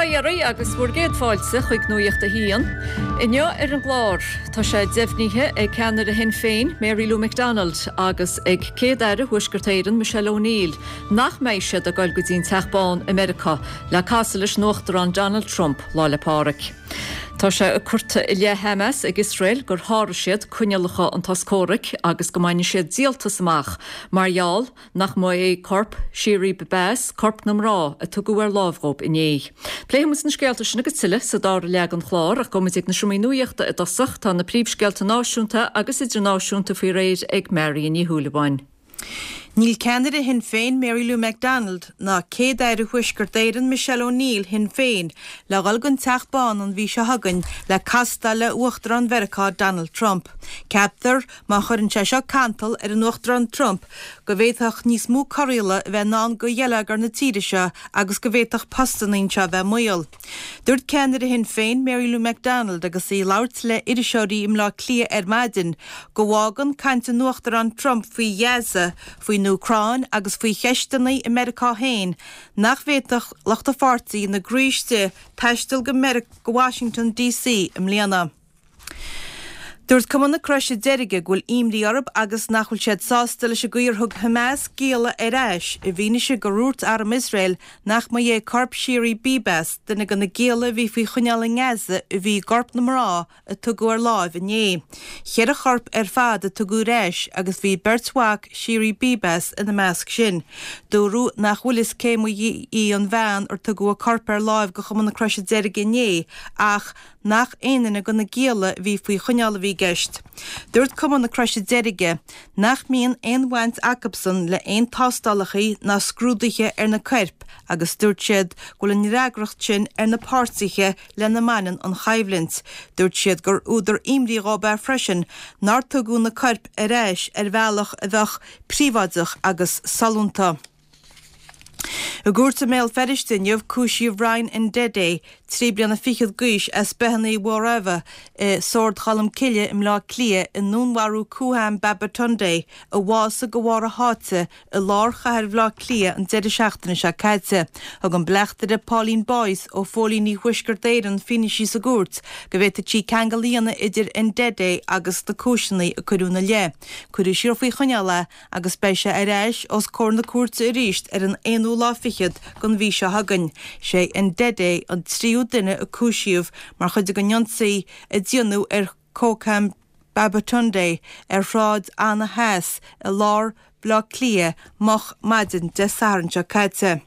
Bail ó Dhia oraibh agus bhur gcéad fáilte chuig Nuacht a hAon. Inniu ar an gclár, tá sé deimhnithe ag ceannaire Shinn Féin, Mary Lou McDonald, agus ag Céad-Aire Thuaisceart Éireann, Michelle O'Neill, nach mbeidh siad ag dul go dtí an Teach Bán i Meiriceá le casadh leis an Uachtarán Donald Trump Lá 'le Pádraig. Tá sé curtha i leith Hamas ag Iosrael gur sháraigh siad coinníollacha an tsos comhraic agus go mbainfidh siad díoltas amach mar gheall nach mba é corp Shiri Bibas corp na mná a tugadh ar láimh dhóibh inné. Pléifidh muid na scéalta sin agus tuilleadh sa dara leath den chlár ach gabhfaidh muid ag na seomraí nuachta i dtosach. Tá na príomhscéalta náisiúnta agus idirnáisiúnta faoi réir ag Marion Ní Shúilleabháin. Níl ceannaire Shinn Féin Mary Lou McDonald ná Céad-Aire Thuaisceart Éireann Michelle O'Neill Shinn Féin le dhul don Teach Bán an mhí seo chugainn le castáil le Uachtarán Mheiriceá Donald Trump. Ceaptar, má chuireann sé seo cantal ar an Uachtarán Trump, go bhféadfadh níos mó corraíola a bheith i ndán do gheilleagar na tíre seo agus go bhféadfadh postanna anseo a bheith i mbaol. Dúirt ceannaire Shinn Féin, Mary Lou McDonald agus í ag labhairt le iriseoirí i mBleá Cliath ar maidin, go bhfágann caint an Uachtaráin Trump faoi Ghaza, faoin Úcráin agus faoi cheisteanna i Meiriceá féin nach bhféadfadh lucht a pháirtí ina gcroí istigh taisteal go Washington DC i mbliana. Dúirt Cumann na Croise Deirge go bhfuil imní orthu agus nach bhfuil siad sásta leis an gcaoi ar thug Hamas gialla ar ais i bhfianaise gur dhúirt arm Iosrael nach mba é corp Shiri Bibas, duine de na gialla a bhí faoi choinneáil i nGaza, a bhí i gcorp na mná a tugadh ar láimh inné. Cheithre chorp ar fad a tugadh ar ais agus bhí beirt mhac Shiri Bibas ina measc sin. Dúradh nach bhfuil fhios cé mba í an bhean ar tugadh a corp ar láimh go Chumann na Croise Deirge inné ach nach aon duine de na gialla a bhí faoi choinneáil a bhí i gceist. Dúirt Cumann na Croise Deirge nach mbíonn aon bhaint acubsan le aon tástálacha ná scrúduithe ar na coirp agus dúirt siad go bhfuil an fhreagracht sin ar na páirtithe lena mbaineann an choimhlint. Dúirt siad gur údar imní dhóibh é freisin nár tugadh na coirp ar ais ar bhealach a bheadh príobháideach agus sollúnta. I gcúirt i mBéal Feirste inniu, cúisíodh Ryan Ndede, 3 bliana fichead d'aois, as Beithe Uí Mhórámha i Sord Cholm Cille i mBleá Cliath i ndúnmharú Kooham Babatunde, a bhásaigh de bharr a sháite i lár chathair Bhaile Átha Cliath an deireadh seachtaine seo caite. Thug an Bleachtaire Pauline Boyce ó Phóilíní Thuaisceart Éireann fianaise sa gcúirt go bhféadfadh sí ceangal a dhéanamh idir Ndede agus na cúiseanna a cuireadh ina leith. Cuireadh siar faoi choinneáil é agus beidh sé ar ais os comhair na cúirte arís ar an aonú lá fichead den mhí seo chugainn. Sé Ndede an tríú duine a cúisíodh mar chuid den ionsaí a déanadh ar Kocham Babatunde ar Shráid Anna Theas i lár Bhaile Átha Cliath moch maidin Dé Sathairn seo caite.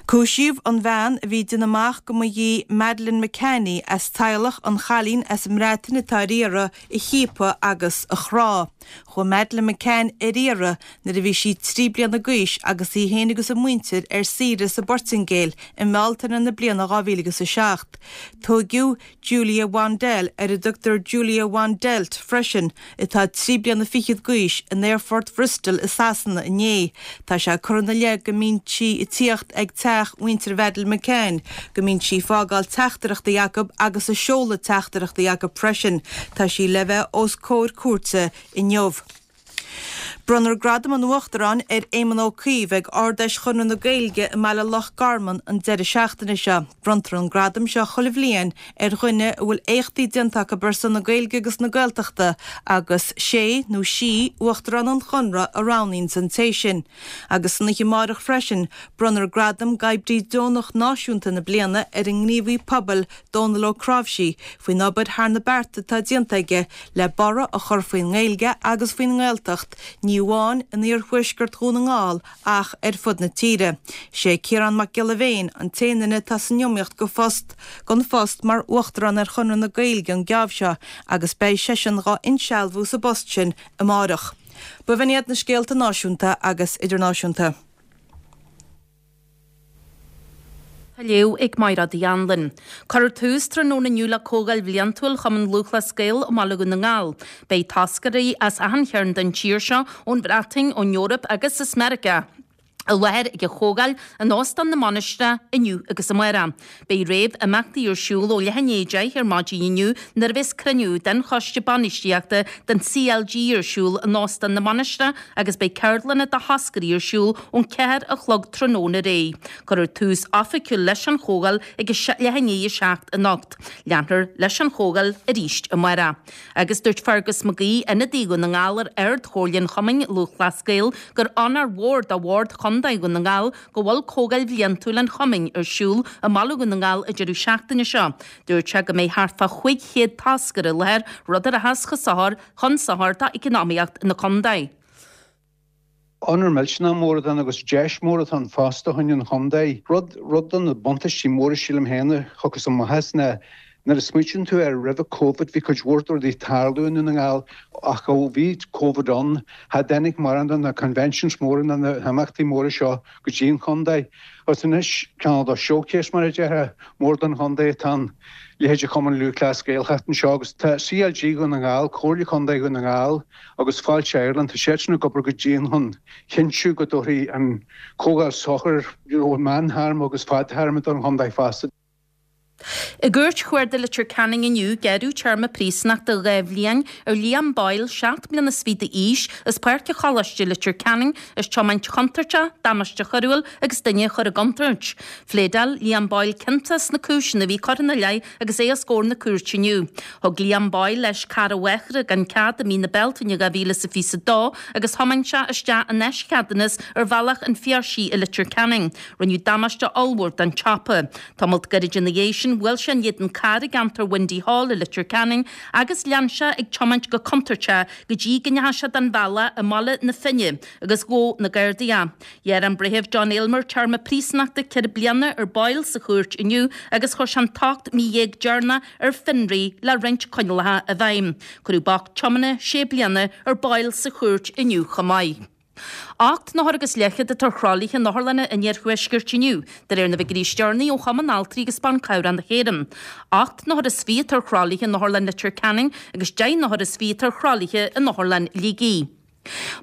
Cúisíodh an bhean a bhí ag déanamh amach go mba í Madeleine McCann í as teaghlach an chailín as an mBreatain atá ar iarraidh a chiapadh agus a chrá. Chuaigh Madeleine McCann ar iarraidh nuair a bhí sí 3 bliana d'aois agus í féin agus a muintir ar saoire sa bPortaingéil i mBealtaine na bliana 2007. Tóigeadh Julia Wandelt, ar a dtugtar Julia Wandelt freisin, atá 3 bliana fichead d'aois, in aerfort Bhristol i Sasana inné. Tá sé curtha ina leith go mbíonn sí ag tíocht ag teach mhuintir Mhadeleine McCann, go mbíonn sí ag fágáil teachtaireachtaí acu agus ag seoladh teachtaireachtaí acu freisin. Tá sí le bheith os comhair cúirte inniu. Bronnfar Gradam an Uachtaráin ar Éamon Ó Cuív ag Ard-Fheis Chonradh na Gaeilge i mBaile Loch Garman an deireadh seachtaine seo. Bronntar an gradam seo chuile bhliain ar dhuine a bhfuil éachtaí déanta acu ar son na Gaeilge agus na Gaeltachta agus sé nó sí Uachtarán an Chonradh a roghnaíonns an té sin. Agus san oíche amáireach freisin, bronnfar Gradam d'Oibrí Deonach Náisiúnta na Bliana ar an ngníomhaí pobail Dónal Ó Cnáimhsí faoin obair thar na bearta atá déanta aige le borradh a chur faoin nGaeilge agus faoin nGaeltacht, ní amháin in iarthuaisceart Dhún na nGall ach ar fud na tíre. Sé Ciarán Mac Giolla Bhéin an t-aon duine atá san iomaíocht go phost don phost mar Uachtarán ar Chonradh na Gaeilge an geábh seo agus beidh seisean dhá insealbhú sa bpost sin amáireach. B'in iad na scéalta náisiúnta agus idirnáisiúnta. Á léamh ag Mairéad Uí Anluain. Cuirfear tús tráthnóna inniu le Comhdháil Bhliantúil Chumann Lúthchleas Gael i mBaile Dhún na nGall. Beidh toscairí as achan chearn den tír seo, ón Bhreatain, ón Eoraip agus as Meiriceá. I láthair ag an chomhdháil in Óstán na Mainistreach inniu agus amárach. Beidh réamh-imeachtaí ar siúl ó leath i ndiaidh 10 ar maidin inniu nuair a bheas cruinniú den Choiste Bainistíochta den CLG ar siúl in Óstán na Mainistreach agus beidh ceardlanna do thoscairí ar siúl ón 4 a chlog tráthnóna ar aghaidh. Cuirfear tús oifigiúil leis an chomhdháil ag leath i ndiaidh 7 anocht. Leanfar leis an chomhdháil arís amárach. Agus dúirt Fergus McGee, ionadaí Dhún na nGall ar Ard-Chomhairle an Chumainn Lúthchleas Gael, gur onóir mhór do Bhord Chontae Dhún na nGall go bhfuil Comhdháil Bhliantúil an Chumainn ar siúl i mbaile Dhún na nGall an deireadh seachtaine seo. Dúirt sé go mbeidh thart fá 500 toscaire i láthair, rud a rachas chun sochair d'eacnamaíocht na contae. Onóir millteanach mór atá ann agus deis mór atá ann fosta chun an chontae. Rud, rud de na buntáistí móra sílim féin a thiocfas amach as ná nuair a smaoitíonn tú air roimhe Covid bhí cuid mhór de rudaí ag tarlú i nDún na nGall ach ó bhí Covid ann cha dtáinig mórán de na conventions móra ná na himeachtaí móra seo go dtí an chontae. Agus anois cineál de showcase mar a déarfá mór don chontae atá ann, leithéid Chumann Lúthchleas Gael theacht anseo agus tá CLG Dhún na nGall, Comhairle Contae Dhún na nGall, agus Fáilte Ireland, tá siadsan ag obair go dian chun chinntiú go dtabharfaidh an Chomhdháil sochar meántéarma agus fadtéarma don chontae fosta. I gCúirt Chuarda Leitir Ceanainn inniu, gearradh téarma príosúnachta 2 bhliain ar Liam Boyle, 7 mbliana is fiche d'aois, as Páirc an Choláiste, Leitir Ceanainn, as tiomáint chontúirteach, damáiste choiriúil agus duine a chur i gcontúirt. Phléadáil Liam Boyle ciontach sna cúiseanna a bhí curtha ina leith agus é os comhair na cúirte inniu. Thug Liam Boyle leis carr a mháthara gan cead i mí na Bealtaine 2022 agus thiomáin sé isteach in áis cheadúnas ar bhealach an Phiarsaigh i Leitir Ceanainn. Rinneadh damáiste ollmhór don tsiopa. Tamalt gairid ina dhiaidh sin bhuail sé in éadan cairr i gceantar Windy Hall i Leitir Ceanainn agus lean sé ag tiomáint go contúirteach go dtí go ndeachaigh sé den bhealach i mBaile na Finne agus ghabh na Gardaí é. Ghearr an Breitheamh John Aylmer téarma príosúnachta 4 bliana ar Boyle sa chúirt inniu agus chuir sé an t- 18 mí deireanach ar fionraí le roinnt coinníollacha i bhfeidhm. Cuireadh bac tiomána 6 bliana ar Boyle sa chúirt inniu chomh maith. 8 n-othar agus leathchéad atá ar thralaithe in otharlanna an iarthuaiscirt inniu, de réir na bhfigiúirí is deireanaí ó Chumann Altraí agus Ban Cabhrach na hÉireann. 28 n-othar atá ar thralaithe in Otharlann Leitir Ceanainn agus 10 n-othar is fiche atá ar thralaithe in Otharlann Shligigh.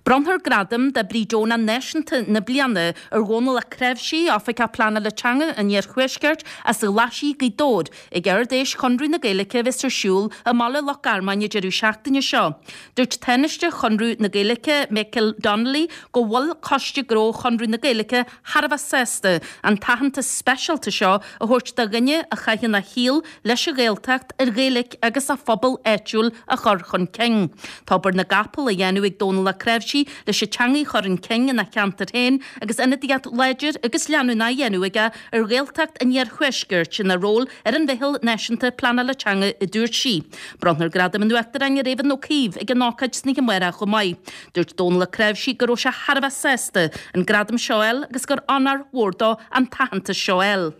Bronnfar Gradam d'Oibrí Deonach Náisiúnta na Bliana ar Dhónal Ó Cnáimhsí, Oifigeach Pleanála Teanga an Iarthuaiscirt, as Glaisí Ghaoth Dobhair, ag Ard-Fheis Chonradh na Gaeilge a bheas ar siúl i mBaile Loch Garman an deireadh seachtaine seo. Dúirt Tánaiste Chonradh na Gaeilge, Michael Donnelly, go bhfuil Coiste Gnó Chonradh na Gaeilge thar a bheith sásta an t-aitheantas speisialta seo a thabhairt do dhuine a chaitheann a shaol leis an Ghaeltacht, an Ghaeilge agus a phobal áitiúil a chur chun cinn. Tá obair na gcapall á dhéanamh ag Dónal Ó Cnáimhsí leis an teanga a chur chun cinn ina cheantar féin agus ionadaíocht láidir agus leanúnach á dhéanamh aige ar Ghaeltacht an Iarthuaiscirt ina ról ar an Mheitheal Náisiúnta Pleanála Teanga, a dúirt sí. Bronnfar Gradam an Uachtaráin ar Éamonn Ó Cuív ag an ócáid san oíche amárach chomh maith. Dúirt Dónal Ó Cnáimhsí go raibh sé thar a bheith sásta an gradam seo a fháil agus gur onóir mhór dó an t-aitheantas seo a fháil.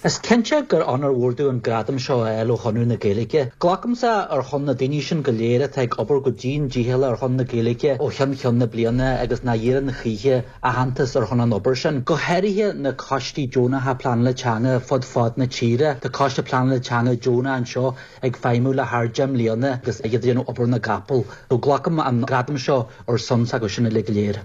Is cinnte gur onóir mhór domh an gradam seo a fháil ó Chonradh na Gaeilge. Glacaimse ar shon na daoine sin go léir atá ag obair go dian dícheallach ar shon na Gaeilge ó cheann ceann na bliana agus nach iarrann choíche aitheantas ar shon an obair sin. Go háirithe na coistí deonacha pleanála teanga fud fad na tíre. Tá coiste pleanála teanga deonach anseo ag feidhmiú le thar 10 mbliana agus iad ag déanamh obair na gcapall. So glacaim an gradam seo ar son s'acu sin uilig go léir.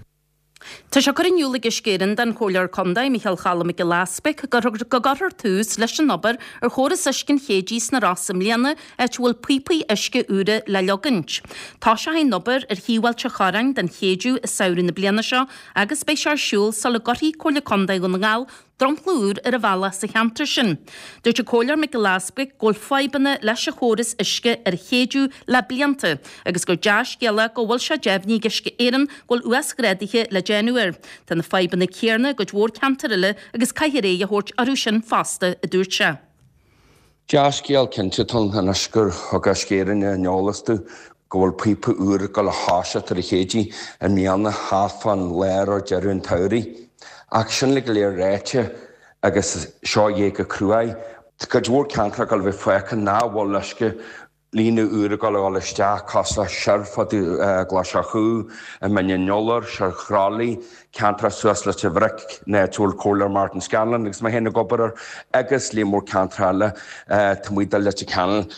Tá sé curtha in iúl ag Uisce Éireann don Chomhairleoir Contae, Micheál Choilm Mac Giolla Easbuig, go gcuirfear tús leis an obair ar chóras uisce an Chéididh sna Rosa i mbliana, áit a bhfuil píopaí uisce úra le leagaint. Toiseoidh an obair ar thaobh Ailt an Chorráin den Chéideadh i samhradh na bliana seo agus beidh sé ar siúl sula gcuirfidh Comhairle Contae Dhún na nGall dromchla úr ar an bhealach sa cheantar sin. Dúirt an Comhairleoir Mac Giolla Easbuig go bhfuil fadhbanna leis an chóras uisce ar an Chéideadh le blianta agus gur dea-scéala go bhfuil sé deimhnithe ag Uisce Éireann go bhfuil uasghráduithe le déanamh air. Tá na fadhbanna céarna i gcuid mhór ceantar eile agus caithfear aghaidh a thabhairt orthu sin fosta, a dúirt sé. Dea-scéal cinnte atá ann anois gur thug Uisce Éireann ar an eolas dúinn go bhfuil píopa úr ag dul a thoiseacht ar an Chéididh i mbliana thart fán lár or deireadh an tsamhraidh. Ach sin uilig go léir ráite agus seo é go cruaidh, tá cuid mhór ceantracha ag dul a bheith fágtha nach bhfuil uisce líne úr ag dul a dhul isteach, cosúil le soir fá dtaobh Ghlais an Chú, i mBinn an Iolair, soir Chroithlí, ceantracha suas Leitir Bhric, an áit a bhfuil Comhairleoir Martin Scanlon agus mé féin ag obair air, agus líon mór ceantracha eile taobh amuigh de Leitir Ceanainn.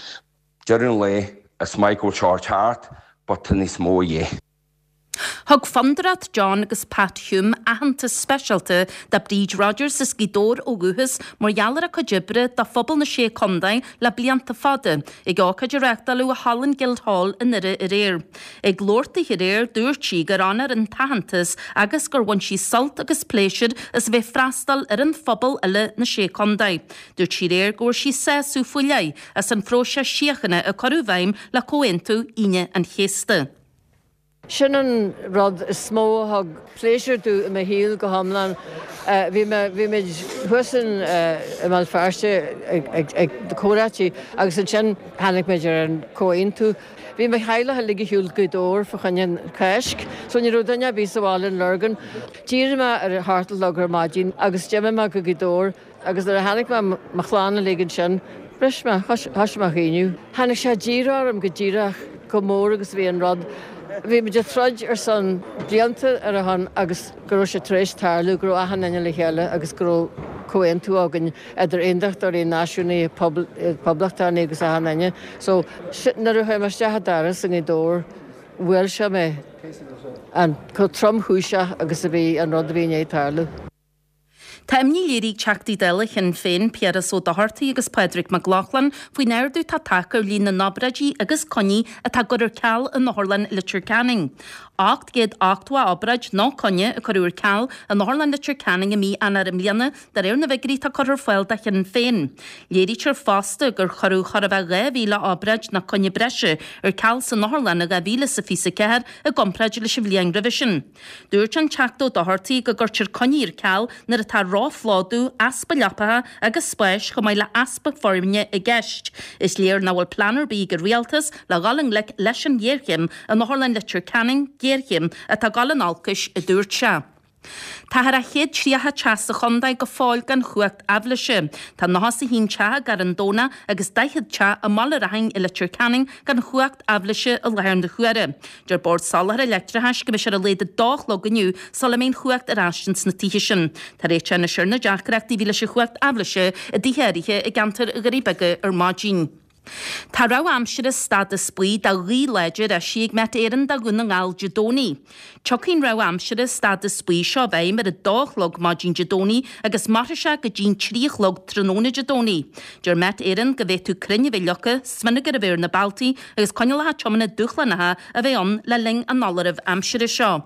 Deireadh an lae, is maith go bhfuil seo ag teacht, but tá níos mó a dhíth. Thug Fondúireacht John agus Pat Hume aitheantas speisialta do Bríd Rodgers as Gaoth Dobhair ó dhúchas mar gheall ar a cuid oibre do phobal na Sé Contae le blianta fada, ag ócáid a reáchtáladh i Halla an Guildhall i nDoire aréir. Ag labhairt di aréir, dúirt sí gur onóir an t-aitheantas agus gur bhain sí sult agus pléisiúr as a bheith ag freastal ar an phobal uile na Sé Contae. Dúirt sí aréir go bhfuair sí sásamh faoi leith as an phróiseas síochána a cuireadh i bhfeidhm le Comhaontú Aoine an Chéasta. Sin an rud is mó a thug pléisiúr domh i mo shaol go hiomlán. Bhí mé, bhí muid thuas in, i mBéal Feirste ag, ag, ag na comhráití agus ansin tháinig muid ar an comhaontú. Bhí mo theaghlach uilig ar shiúl go Gaoth Dobhair fá choinne an Cháisc so ní raibh duine ar bith sa bhaile in Lurgan. D'éirigh mé ar a hocht a chlog ar maidin agus d'imigh mé go Gaoth Dobhair. Agus nuair a chonaic mé mo chlann uilig ansin, bhris mé, thoisigh mé a chaoineadh. Tháinig sé díreach orm go díreach chomh mór agus a bhí an rud. Bhí muid ag troid ar son blianta ar a shon agus go raibh sé tar éis tarlú, go raibh achan duine le chéile agus go raibh comhaontú againn idir aondachtóirí, náisiúnaithe, poblachtánaigh agus achan duine. So, nuair a chuaigh mé isteach an doras i nGaoth Dobhair, bhuail sé mé an chomh tromchúiseach agus a bhí an rud a bhí i ndiaidh tarlú. Tá imní léirithe ag Teachtaí Dála Shinn Féin, Piaras Ó Dochartaigh agus Pádraig Mac Lochlainn, faoin ardú atá tagtha ar líon na n-obráidí agus coinní atá á gcur ar ceal in Otharlann Leitir Ceanainn. 880 obráid nó coinne a cuireadh ar ceal in Otharlann Leitir Ceanainn i mí Eanáir i mbliana, de réir na bhfigiúirí atá curtha ar fáil do Shinn Féin. Léirítear fosta gur cuireadh chóir a bheith 2,000 obráid nó coinne breise ar ceal san otharlann in 2024 i gcomparáid leis an bhliain roimhe sin. Dúirt an Teachta Ó Dochartaigh go gcuirtear coinní ar ceal nuair atá róphlódú, easpa leapacha agus spáis chomh maith le heaspa foirne i gceist. Is léir nach bhfuil plean ar bith ag an Rialtas le dhul i ngleic leis an ghéarchéim in Otharlann Leitir Ceanainn, géarchéim atá ag dul in olcais, a dúirt sé. Tá thar a 130 teach sa chontae go fóill gan chumhacht aibhléise. Tá 91 teach i gCarn Domhnach agus 40 teach i mBaile Raithin i Leitir Ceanainn gan chumhacht aibhléise i láthair na huaire. Deir Bord Soláthair Leictreachais go mbeidh sé ar a laghad 2 a chlog inniu sula mbeidh an chumhacht ar ais ins na tithe sin. Tá réiteach anois ar na deacrachtaí a bhí leis an chumhacht aibhléise i dtithe áirithe i gceantar Dhoirí Beaga ar maidin. Tá rabhadh aimsire stádas buí do ghaoth láidir eisithe ag Met Éireann do Dhún na nGall Dé Domhnaigh. Tiocfaidh an rabhadh aimsire stádas buí seo i bhfeidhm ar a dó a chlog maidin Dé Domhnaigh agus mairfidh sé go dtí'n 3 a chlog tráthnóna Dé Domhnaigh. Deir Met Éireann go bhféadfadh crainn a bheith leagtha, smionagar a bheith ar na bealtaí agus coinníollacha tiomána dúshlánacha a bheith ann le linn an fholáirimh aimsire seo.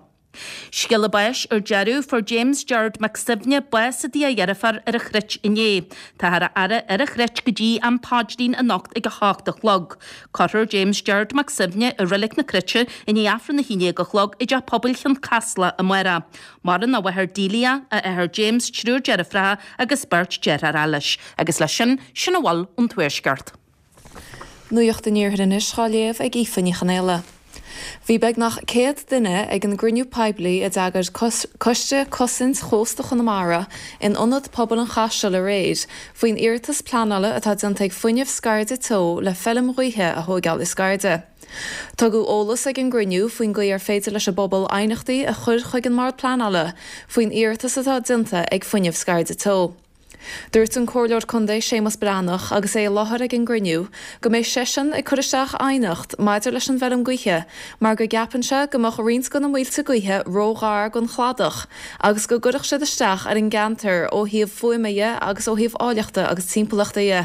Scéala báis ar deireadh, fuair James Gerard Mac Suibhne bás i dtigh a dheirféar ar an Chruit inné. Táthar á fhaire ar an Chruit go dtí am paidrín anocht ag 8 a chlog. Cuirfear James Gerard Mac Suibhne i Reilig na Cruite i ndiaidh Aifreann 11 a chlog i dTeach Pobail Chionn Caslach amárach. Maireann a mháthair Delia, a athair James, triúr deirfiúracha agus beirt deartháir leis. Agus leis sin, sin a bhfuil ón Tuaisceart. Nuacht an Iarthair anois dhá léamh ag Aoife Ní Chonaola. Bhí beagnach 100 duine ag an gcruinniú poiblí a d'eagair Coiste Cosaint Chósta Chonamara in Ionad Pobail an Chaisil aréir faoin iarratas pleanála atá déanta ag Fuinneamh Scairde Teo le feilm ghaoithe a thóigeáil i Scairde. Tugadh eolas ag an gcruinniú faoin gcaoi ar féidir leis an bpobal aighneachtaí a chur chuig an mBord Pleanála faoin iarratas atá déanta ag Fuinneamh Scairde Teo. Dúirt an Comhairleoir Contae Séamus Breathnach agus é i láthair ag an gcruinniú go mbeidh seisean ag cur isteach aighneacht maidir leis an bhfeilm gaoithe mar go gceapann sé go mbeadh roinnt de na muilte gaoithe ró-ghar don chladach agus go gcuirfeadh siad isteach ar an gceantar ó thaobh fuaime dhe agus ó thaobh áilleachta agus timpeallachta dhe.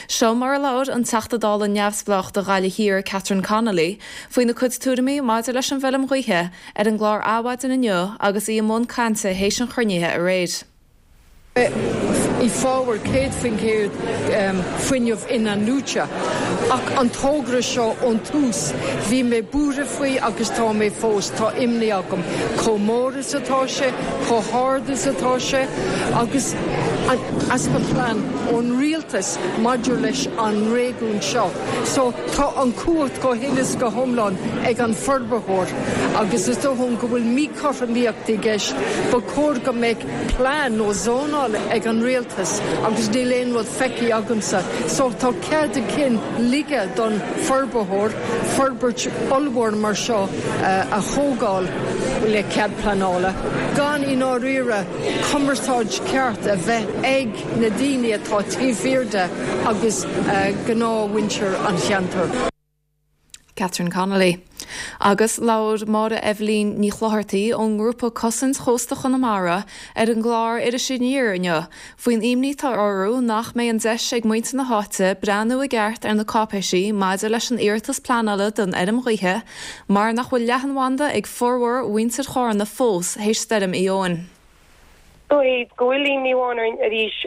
Seo mar a labhair an Teachta Dála neamhspleách do Ghaillimh Thiar Catherine Connolly faoina cuid tuairimí maidir leis an bhfeilm ghaoithe ar an gclár Adhmhaidin inniu agus í i mbun cainte théis an chruinnithe aréir. I bhfabhar 100% fuinneamh in-athnuaite. Ach an togra seo ón tús, bhí mé buartha faoi agus tá mé fós, tá imní agam chomh mór is atá sé, chomh hard is atá sé agus an easpa plean ón rialtas maidir leis an réigiún seo. So tá an chumhacht go huile is go hiomlán ag an forbarthóir agus is dóigh liom go bhfuil míchothromaíocht i gceist. Ba chóir go mbeadh plean nó zónáil ag an rialtas agus níl aon rud feicthe agamsa. So tá cead a cinn ligthe don forbarthóir forbairt ollmhór mar seo a thógáil le cead pleanála gan i ndáiríre cumarsáid ceart a bheith ag na daoine atá taobh thiar de agus gnáthmhuintir an cheantair. Catherine Connolly. Agus labhair Máire Eibhlín Ní Chlochartaigh ón ngrúpa Cosaint Chósta Chonamara ar an gclár Iris Aniar inniu faoin imní atá orthu nach mbeidh an deis ag muintir na háite breathnú i gceart ar na cáipéisí maidir leis an iarratas pleanála don fheirm ghaoithe mar nach bhfuil leathanbhanda ag formhór mhuintir Chárna fós théis stoirm Éowyn. Dóigh go bhfuil imní amháin orainn arís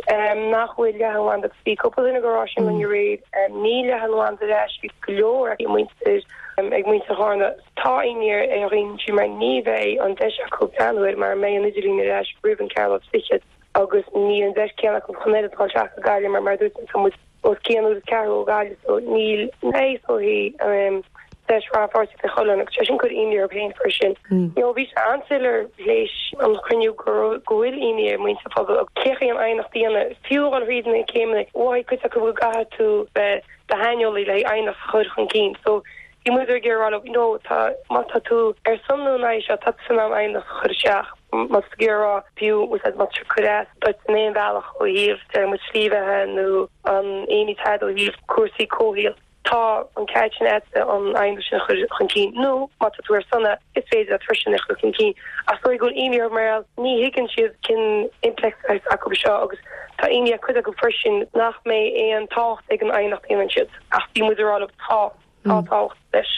nach bhfuil leathanbhanda agus bhí cúpla duine ag rá sin linn aréir. Níl leathanbhanda ar ais ag go leor ag muintir ag muintir Chárna. Tá imní ar dhaoine ansin mar ní bheidh an deis acu breathnú air mara mbeidh an idirlíon ar ais roimh an ceathrú lá is fichead agus níl an deis céanna acu chun oiread dul isteach go Gaillimh mar mar a dúirt mé tá muid os cionn uair is ceathrú ó Ghaillimh so níl is dóichí deis rannpháirtíocht ag chuile dhuine agus sé sin cur imní orthu féin freisin. You know bhí sé an-soiléir théis an chruinniú go raibh go bhfuil imní ar muintir an phobail agus cé chaoi an aighneacht a dhéanamh fiú a dhul thríd na céimeanna mhothaigh cuid acu go gcaithfidh tú bheith do shaineolaí le haghaidh aighneacht a chur chun cinn so bhí muid ag iarraidh a rá leo you know tá má tá tú ar son nó in aghaidh seo tá tú in ann aighneacht a chur isteach má tá tú ag iarraidh a rá fiú úsáid má tá sé ag cur as duit in aon bhealach ó thaobh deir muid slí bheatha nó an imní atá ó thaobh cúrsaí comhshaoil tá an ceart sin agat an aighneacht sin a chur chun cinn nó má tá tú ar son é is féidir leat freisin é a chur chun cinn ach is dóigh go bhfuil imní orthu mar gheall ní thuigeann siad cén impleachtaí atá acu seo agus tá imní ar cuid acu freisin nach mbeidh aon tábhacht ag an aighneacht a dhéanann siad ach bhí muid ag rá leo tá Tá tábhacht leis.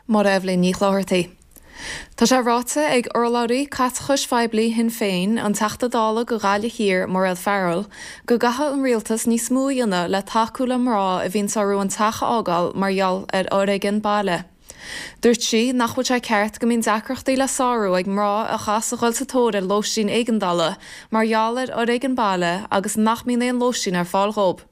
Máire Eibhlín Ní Chlochartaigh. Tá sé ráite ag urlabhraí caiteachais phoiblí Shinn Féin, an Teachta Dála do Ghaillimh Thiar, Mairéad Farrell, go gcaithfidh an rialtas níos mó a dhéanamh le tacú le mná a bhíonns orthu an teach a fhágáil mar gheall ar fhoréigean baile. Dúirt sí nach bhfuil sé ceart go mbíonn deacrachtaí le sárú ag mná a chaitheas a dhul sa tóir ar lóistín éigeandála mar gheall ar fhoréigean baile agus nach mbíonn aon lóistín ar fáil dhóibh.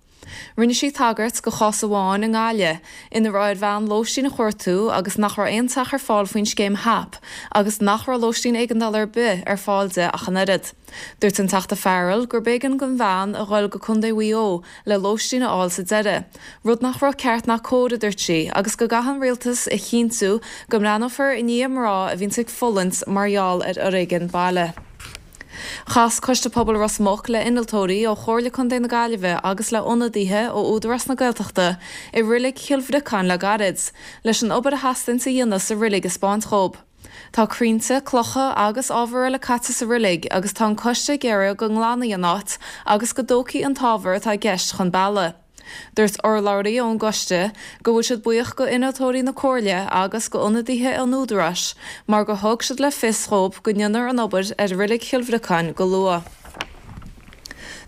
Rinne sí tagairt go chás amháin i nGaillimh ina raibh ar bhean lóistín a chuartú agus nach raibh aon teach ar fáil faoin scéim HAP agus nach raibh lóistín éigeandála ar bith ar fáil di ach an oiread. Dúirt an Teachta Farrell gurb éigean don bhean a dhul go Contae Mhaigh Eo le lóistín a fháil sa deireadh, rud nach raibh ceart ná cóir a dúirt sí agus go gcaithfidh an rialtas a chinntiú go mbreathnófar i ndiaidh mná a bhíonns ag fulaingt mar gheall ar fhoréigean baile. Chas Coiste Pobail Ros Muc le innealtóirí ó Chomhairle Contae na Gaillimhe agus le ionadaithe ó Údarás na Gaeltachta i Reilig Chill Bhriocáin le gairid, leis an obair a theastaíonns a dhéanamh sa reilig a 'spáint dhób. Tá crainnte, clocha agus ábhar eile caite sa reilig agus tá an coiste ag iarraidh go nglanfaí an áit agus go dtógfaí an t-ábhar atá i gceist chun bealaigh. Dúirt urlabhraí ón gcoiste go bhfuil siad buíoch go innealtóirí na Comhairle agus go ionadaithe an Údaráis mar gur thug siad le fios dhób go ndéanfar an obair ar Reilig Chill Bhriocáin go luath.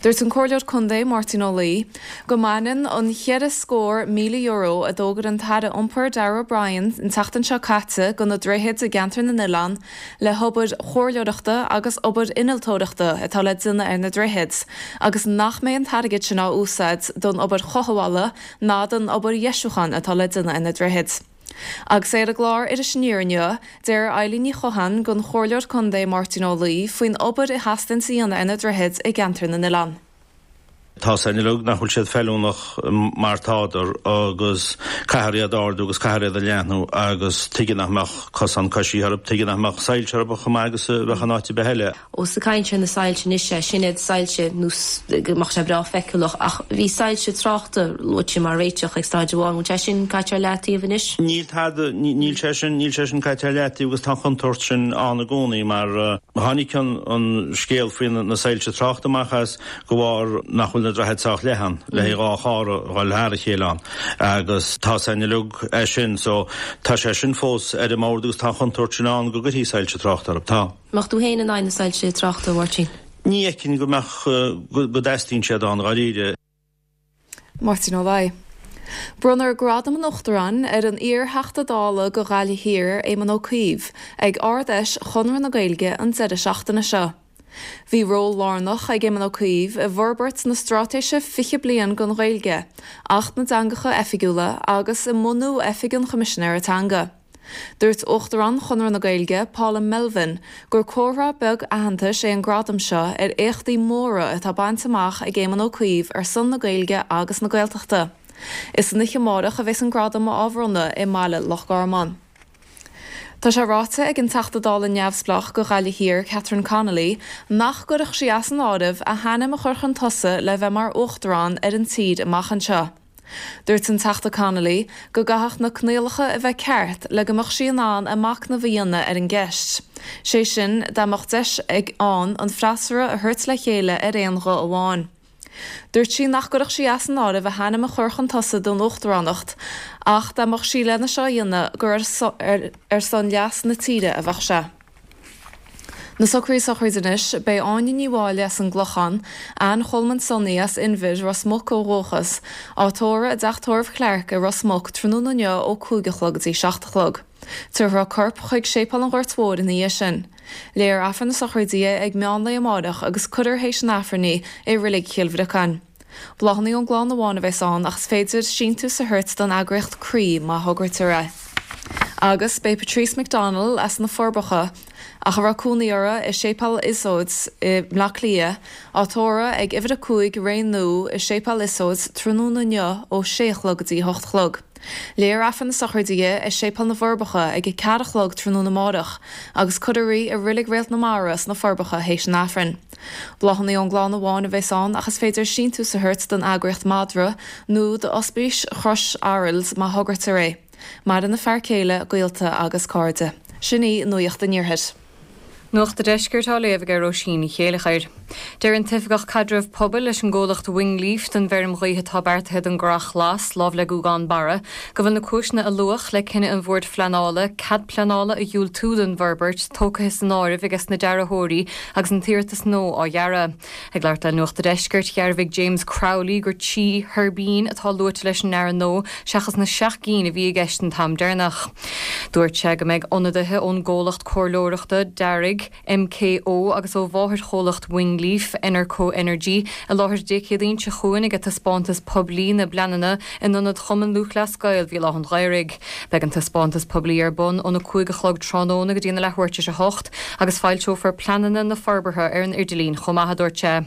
Dúirt an Comhairleoir Contae Máirtín Ó Laoi go mbaineann an €400,000 a d'fhógair an tAire Iompair Darragh O'Brien an tseachtain seo caite do na droichid i gceantar na n-oileán le hobair chomhairleoireachta agus obair innealtóireachta atá le déanamh ar na droichid, agus nach mbeidh an t-airgead sin á úsáid don obair chothabhála ná don obair dheisiúcháin atá le déanamh ar na droichid. Agus é ar an gclár Iris Aniar inniu, deir Eilín Ní Chatháin don Chomhairleoir Contae Máirtín Ó Laoi faoin obair a theastaíonns a dhéanamh ar na droichid i gceantar na n-oileán. Tá a fhios againn uilig nach bhfuil siad feiliúnach mar tádar agus caithfear iad a ardú agus caithfear iad a leathnú agus tuige nach mbeadh cosán coisithe orthu, tuige nach mbeadh soilse orthu chomh maith agus a bheadh in áit ar bith eile. Ós ag caint ar na soilse anois, sin iad soilse nó go mbeadh sé breá feiceálach ach bhí soilse tráchta luaite mar réiteach ag staid amháin, bhfuil sé sin caite ar leataobh anois? Níl tada, níl sé sin, níl sé sin caite ar leataobh agus tá an chontúirt sin ann i gcónaí mar tháinig an scéal faoi na soilse tráchta amach as de bharr nach bhfuil na droichid sách leathan le haghaidh 2 charr a dhul thar a chéile ann agus tá a fhios againn uilig é sin so tá sé sin fós ar an mbord agus tá an chontúirt sin ann go gcuirfí soilse tráchta orthu. Tá. Mbeadh tú féin in aghaidh na soilse tráchta, a Mháirtín? Ní fheicfinn go mbeadh, go dteastaíonn siad ann dháiríre. Máirtín Ó Laoi. Bronnfar Gradam an Uachtaráin ar an iar-Theachta Dála do Ghaillimh Thiar, Éamon Ó Cuív, ag Ard-Fheis Chonradh na Gaeilge an deireadh seachtaine seo. Bhí ról lárnach ag Éamon Ó Cuív i bhforbairt na Straitéise 20 Bliain don Ghaeilge, Acht na dTeangacha Oifigiúla agus i mbunú Oifig an Choimisinéara Teanga. Dúirt Uachtarán Chonradh na Gaeilge, Paula Melvin, gur comhartha beag aitheantais é an gradam seo ar éachtaí móra atá bainte amach ag Éamon Ó Cuív ar son na Gaeilge agus na Gaeltachta. Is san oíche amárach a bheas an gradam á bhronnadh i mBaile Loch Garman. Tá sé ráite ag an Teachta Dála neamhspleách do Ghaillimh Thiar, Catherine Connolly, nach gcuirfeadh sí as an áireamh a hainm a chur chun tosaigh le bheith mar Uachtarán ar an tír amach anseo. Dúirt an Teachta Connolly go gcaithfeadh na coinníollacha a bheith ceart le go mbeadh sí in ann a machnamh a dhéanamh ar an gceist, sé sin dá mbeadh deis ag ann an freasúra a thabhairt le chéile ar aon ghuth amháin. Dúirt sí nach gcuirfeadh sí as an áireamh a hainm a chur chun tosaigh don uachtaránacht ach dá mbeadh sí lena seo a dhéanamh gur ar son leas na tíre a bheadh sé. Na socruithe sochraide anois, Beidh Áine Ní Mháille as an gClochán, Ann Cholmáin Sonaí as Inbhir, Ros Muc ó dhúchas, á tórramh i dTeach Tórraimh Clarke i Ros Muc tráthnóna inniu ó 5 a chlog go dtí 7 a chlog. Tabharfar a corp chuig Séipéal an Ghoirt Mhóir ina dhiaidh sin. Léifear Aifreann na sochraide di ag meán lae amáireach agus cuirfear théis an Aifrinn í i Reilig Chill Bhriocáin. Bláthanna ón gclann amháin a bheas ann ach is féidir síntiús a thabhairt don eagraíocht Croí má thograítear é. Agus beidh Patrice McDonnell as na Forbacha, ach a raibh cónaí uirthi i Séipéal Iosóid i mBleá Cliath, á tórramh ag Uimhir 5 Ré Nua i Séipéal Iosóid tráthnóna inniu ó 6 a chlog go dtí 8 a chlog. Léifear Aifreann na sochraide di i Séipéal na bhForbacha ag 4 a chlog tráthnóna amárach agus cuirfear í i Reilig Réalt na Mara sna Forbacha théis an Aifrinn. Bláthanna ón gclann amháin a bheas ann ach is féidir síntiús a thabhairt don eagraíocht Madra nó d'Ospís Chrois Araild má thograítear é. Maireann a fear céile, gaolta agus cairde. Sin í Nuacht an Iarthair. Nuacht an Deiscirt á léamh ag Róisín Ní Chéileachair. Deir an tOifigeach Caidreamh Pobail leis an gcomhlacht Wingleaf don bhfeirm ghaoithe atá beartaithe don gCurrach Ghlas, lámh le Gougane Barra, go bhfuil na cúiseanna a luadh le cinneadh an Bhoird Phleanála cead pleanála a dhiúltú don bhforbairt tógtha san áireamh ages na dearthóirí agus an t-iarratas nua á dhearadh. Ag labhairt le Nuacht a' Deiscirt, dhearbhaigh James Crowley gur 3 thuirbín atá luaite leis an ndearadh nua seachas na seacht gcinn a bhí i gceist an t-am deireanach. Dúirt sé go mbeidh ionadaithe ón gcomhlacht comhairleoireachta dearaidh, MKO, agus ó mháthairchomhlacht Wingleaf, Enerco Energy, i láthair Dé Céadaoin seo chugainn ag taispeántas poiblí na bpleananna in Ionad Chumann Lúthchleas Gael Bhéal Átha an Ghaorthaidh. Beidh an taispeántas poiblí ar bun óna 5 a chlog tráthnóna go dtí an leathuair tar éis a hocht agus foilseofar pleananna na forbartha ar an idirlíon chomh maith, a dúirt sé.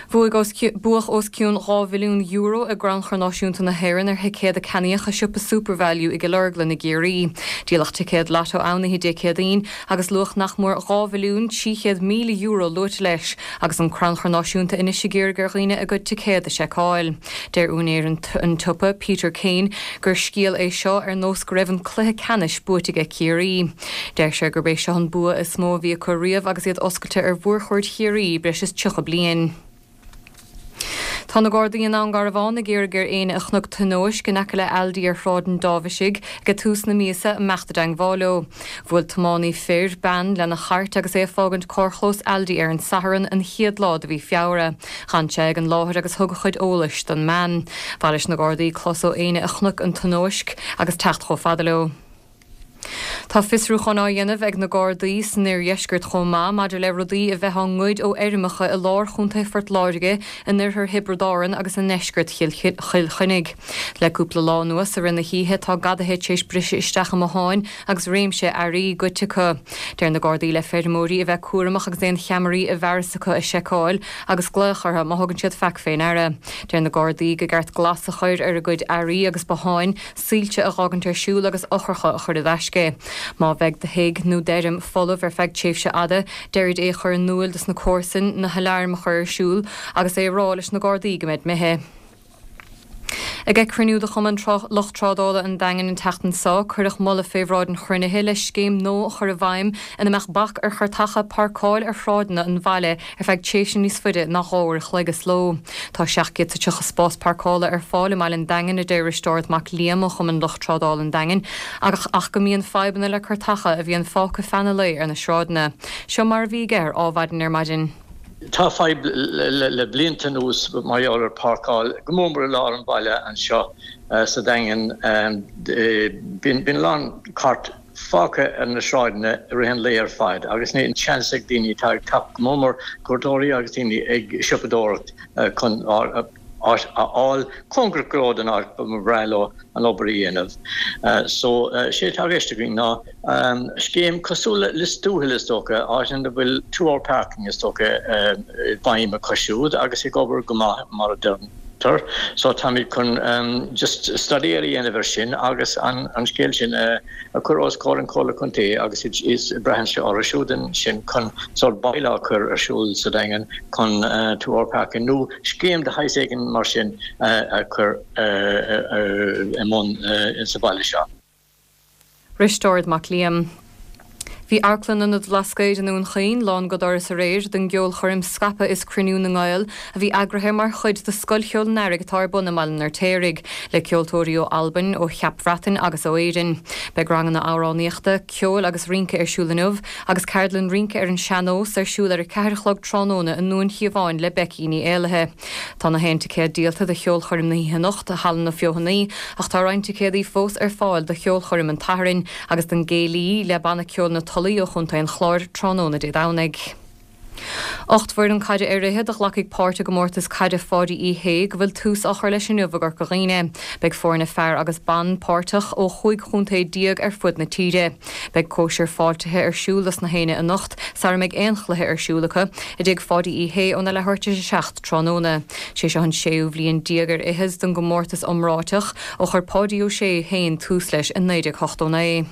Bhuaigh os buadh os cionn €2 mhilliún i gCrannchur Náisiúnta na hÉireann ar thicéad a ceannaíodh i siopa Supervalu i gCill Orglan i gCiarraí. Díoladh ticéad Lotto ann oíche Dé Céadaoin agus luach nach mór €2,300,000 luaite leis, agus an Crannchur Náisiúnta anois ag iarraidh ar dhaoine a gcuid ticéad a sheiceáil. Deir úinéir an tsiopa, Peter Kane, gur scéal é seo ar nós go raibh an cluiche ceannais buaite aige Ciarraí. Deir sé gurb é seo an bua is mó a bhí acu riamh agus iad oscailte ar mhórchuaird Chiarraí breis is 30 bliain. Tá na Gardaí i nDún Garbhán ag iarraidh ar éinne a chonaic tionóisc in aice le Aldi ar Shráid an Dáibhisigh ag tús na míosa imeacht i dteangmháil leo. Bhuail tiománaí fir, bean lena chairt agus é ag fágaint carrchlós Aldi ar an Satharn, an chéad lá de mhí Feabhra. D'fhan sé ag an láthair agus thug a chuid eolais don mbean. Ba mhaith leis na Gardaí clos ó éinne a chonaic an tionóisc agus teacht chomh fada leo. Tá fiosrúchán á dhéanamh ag na Gardaí san oirdheisceart chomh maith maidir le rudaí a bheith á ngoid ó fheirmeacha i lár chontae Phort Láirge, in oirthear Thiobraid Árann agus i ndeisceart Chill Chainnigh. Le cúpla lá anuas i rith na hoíche tá gadaithe tar éis briseadh isteach i mbotháin agus réimse earraí goidte acu. Deir na Gardaí le feirmeoirí a bheith cúramach agus aon cheamaraí i bhfearas acu a sheiceáil agus glaoch orthu má thugann siad faic fé ndeara. Deir na Gardaí go gceart glas a chur ar a gcuid earraí agus botháin, soilse a dh'fhágaint ar siúl agus eochracha a chur i dtaisce. Má bheidh do thigh nó d'fheirm folamh ar feadh tréimhse fhada, deirid é a chur in iúil dos na comharsain, na haláirm a chur ar siúl agus é a rá leis na Gardaí go mbeid imithe. Ag cruinniú de Chumann Lucht Trádála an Daingin an tseachtain seo, cuireadh moladh fé bhráid an chruinnithe le scéim nua a chur i bhfeidhm ina mbeadh bac ar chairteacha páirceáil ar shráideanna an bhaile ar feadh tréimhse níos faide ná 2 uair a chloig sa ló. Tá 730 spás páirceála ar fáil i mbaile an Daingin, a deir Risteárd Mac Liam ó Chumann Lucht Trádála an Daingin, ach go mbíonn fadhbanna le cairteacha a bhíonn fágtha feadh an lae ar na sráideanna. Seo mar a bhí aige ar Ádhmhaidin ar maidin. Tá fadhb le blianta anuas mar gheall ar páirceáil, go mór mór i lár an bhaile anseo sa Daingean. Bíonn a lán cairt fágtha ar na sráideanna i rith an lae ar fad agus níl seans ag daoine atá ag teacht, go mór mór cuairteoirí agus daoine ag siopadóireacht chun áit a fháil cóngarach go leor don áit ba bhreá leo an obair a dhéanamh. So, sé atá i gceist againn ná scéim cosúil le Lios Tuathail is dócha, áit ina bhfuil two hour parking is dócha i bhfeidhm acu siúd agus ag obair go maith mar a deir. cheantar so táimid chun just staidéar a dhéanamh ar sin agus an scéal sin a chur os comhair an Chomhairle Contae agus is braitheann sé orthu siúd ansin chun sórt bylaw a chur ar siúl sa Daingean chun two hour parking nó scéim de shaghas éigin mar sin a chur i mbun sa bhaile seo. Risteárd Mac Liam. Bhí Amharclann Ionad Bhlascaoid i nDún Chaoin lán go doras aréir don gceolchoirm Scaipeadh is Cruinniú na nGael a bhí eagraithe mar chuid de Scoil Cheoil an Earraigh atá ar bun i mBaile an Fheirtéaraigh, le ceoltóirí ó Albain, ó Cheap Bhreatainn agus ó Éirinn. Beidh ranganna amhránaíochta, ceoil agus rince ar siúl inniu agus ceardlann rince ar an sean-nós ar siúl ar a ceathair a chlog tráthnóna i nDún Chíomháin le Becky Ní Éallaithe. Tá na haon ticéad díolta do cheolchoirm na hoíche anocht i Halla na Feothanaí ach tá roinnt ticéadaí fós ar fáil do cheolchoirm an tSathairn agus don gcéilí le Banna Ceoil na Tulaí ó Chontae an Chláir tráthnóna Dé Domhnaigh. 8 bhfoireann caide ar fhichead a ghlacfaidh páirt i gcomórtas caide Pháidí Uí Shé go bhfuil tús á chur leis inniu i gCorca Dhuibhne. Beidh foirne fear agus ban páirteach ó chúig chontae déag ar fud na tíre. Beidh cóisir fáiltithe ar siúl dos na héinne anocht sara mbeidh aon chluiche ar siúl acu, i dTigh Pháidí Uí Shé óna leathuair tar éis a 7 tráthnóna. Sé seo an séú bhliain déag ar fhichead don gcomórtas iomráiteach ó chuir Páidí Ó Sé féin tús leis i 1989.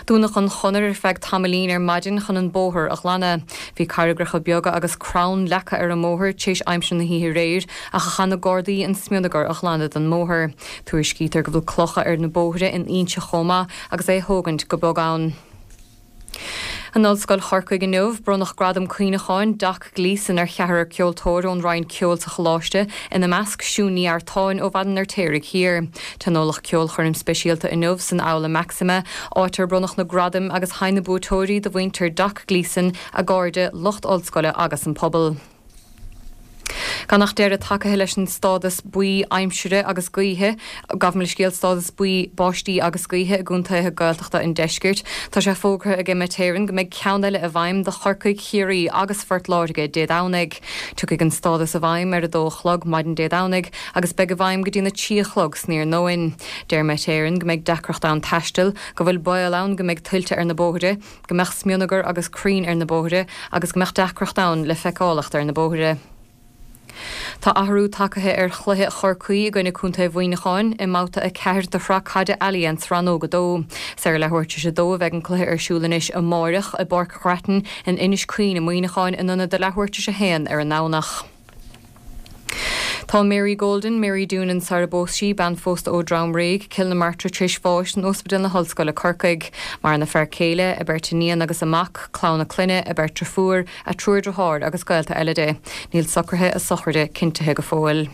Dúnadh an chonair ar feadh tamaillín ar maidin chun an bóthar a ghlanadh. Bhí carraigreacha beaga agus crann leagtha ar an mbóthar tar éis aimsir na hoíche aréir ach chaith na Gardaí an smionagar a ghlanadh den mbóthar. Tuairiscítear go bhfuil clocha ar na bóithre in Inse chomh maith agus é a thógaint go bog ann. In Ollscoil Chorcaigh inniu, bronnadh Gradam Cuimhneacháin Doc Gleeson ar cheathrar ceoltóir ón Roinn Ceoil sa Choláiste, ina measc Siún Ní Eartáin ó Bhaile an Fheirtéaraigh Thiar. Tionóladh ceolchoirm speisialta inniu san Aula Maxima, áit ar bronnadh na gradaim agus sheinn na buaiteoirí do mhuintir Doc Gleeson, a gcairde, lucht ollscoile agus an pobal. Gan ach deireadh tagaithe leis an stádas buí aimsire agus gaoithe, gabh mo leithscéal, stádas buí báistí agus gaoithe i gcontaetha Gaeltachta an deiscirt, tá sé fógartha ag Met Éireann go mbeidh ceann eile i bhfeidhm do Chorcaigh, Chiarraí agus Phort Láirge Dé Domhnaigh. Tiocfaidh an stádas i bhfeidhm ar a dó a chlog maidin Dé Domhnaigh agus beidh i bhfeidhm go dtí'n a 3 a chlog san iarnóin. Deir Met Éireann go mbeidh deacracht ann taisteal, go bhfuil baol ann go mbeidh tuilte ar na bóithre, go mbeadh smionagar agus crainn ar na bóithre agus go mbeadh deacracht ann le feiceálacht ar na bóithre. Tá athrú tagaithe ar chluiche Chorcaí i gcoinne Contae Mhuineacháin i mbabhta 4 de Shraith Caide Allianz Rannóg 2. Is ar a leathuair tar éis a dó a bheidh an cluiche ar siúl anois amáireach i bPáirc Ghrattan in Inis Caoin i Muineachán in ionad a leathuair tar éis a haon ar an nDomhnach. Tá Mary Golden, Mary Doonan sara bpós sí, bean phósta ó Dhroim Réidh, Cill na Martra tar éis bháis in Ospidéal na hOllscoile Corcaigh. Maireann a fear céile, a beirt iníon agus a mac, clann a clainne, a beirt driofúr, a triúr driotháir agus gaolta eile di. Níl socruithe a sochraide cinntithe go fóill.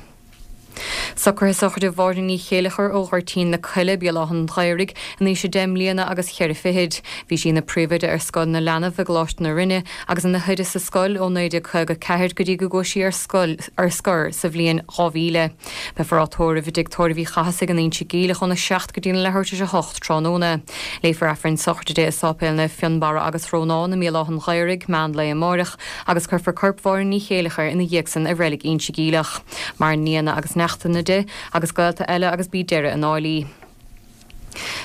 Socruithe sochraide Mháire Ní Chéileachair ó Ghoirtín na Coille, Béal Átha an Ghaorthaidh, in aois a deich mbliana agus cheithre fichid. Bhí sí ina príomhoide ar Scoil na Leanbh i gColáiste na Rinne agus ina hoide sa scoil ó 1954 go dtí go gcuaigh sí ar scoil ar scor sa bhliain 2000. Beifear á tórramh i dTigh Tórraimh Uí Chathasaigh in Inse Geimhleach óna 7 go dtína leathuair tar éis a 8 tráthnóna. Léifear Aifreann sochraide di i Sáipéal Naomh Fionnbarra agus Rónán i mBéal Átha an Ghaorthaidh, meán lae amáireach, agus cuirfear corp Mháire Ní Chéileachair ina dhiaidh san i reilig Inse Geimhleach. Maireann nianna agus neachtanna di, agus gaolta eile agus b'í deireadh a ndálaí.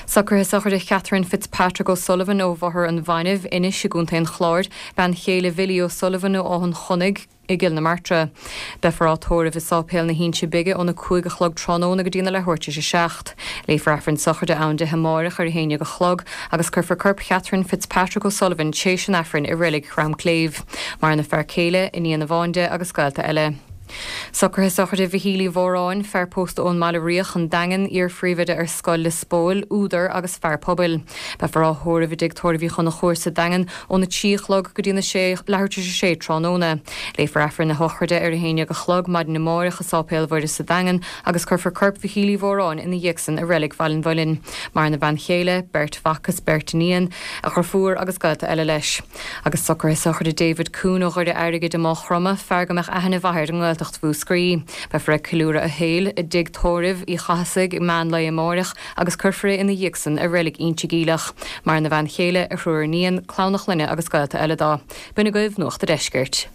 Socruithe sochraide Chatherine Fitzpatrick O'Sullivan ó Bhóthar an Bhainbh, Inis i gContae an Chláir, bean chéile Bhilly O'Sullivan ó Áth an Chonnaigh i gCill na Martra. Beifear á tórramh i Sáipéal na hInse Bige óna 5 a chlog tráthnóna go dtína leathuair tar éis a 7. Léifear Aifreann sochraide ann di amáireach ar a haon dhéag a chlog agus cuirfear corp Chatherine Fitzpatrick O'Sullivan tréis an Aifrinn i Reilig Dhroim Cléibh. Maireann a fear céile, iníon amháin di agus gaolta eile. Socruithe sochraide Mhichíl Uí Mhóráin, fear pósta ón mBaile Riach, An Daingean, iar-phríomhoide ar Scoil Lios Póil, údar agus fear pobail. Beifear á thórramh i dTigh Tórraimh Uí Chonchúir sa Daingean óna 3 a chlog go dtína 6, leathuair tar éis a sé tráthnóna. Léifear Aifreann a shochraide ar a haon dhéag a chlog maidin amáireach i Sáipéal Mhuire sa Daingean agus cuirfear corp Mhichíl Uí Mhóráin ina dhiaidh san i Reilig Bhaile an Mhuilinn. Maireann a bhean chéile, beirt mhac is beirt iníon, a dhriofúr agus gaolta eile leis. Agus socruithe sochraide David Coon ó Dhoire Airgid i Máigh Chromtha, fear go mbeadh aithne mhaith air i nGaeltacht Mhúscraí. Beifear ag ceiliúradh a shaoil i dtigh tórraimh Uí Chathasaigh ag meán lae amáireach agus cuirfear é ina dhiaidh san i reilig Inse Geimhleach. Maireann a bhean chéile, a thriúr iníon, clann a chlainne agus gaolta eile dó. B'in agaibh Nuacht a' Deiscirt.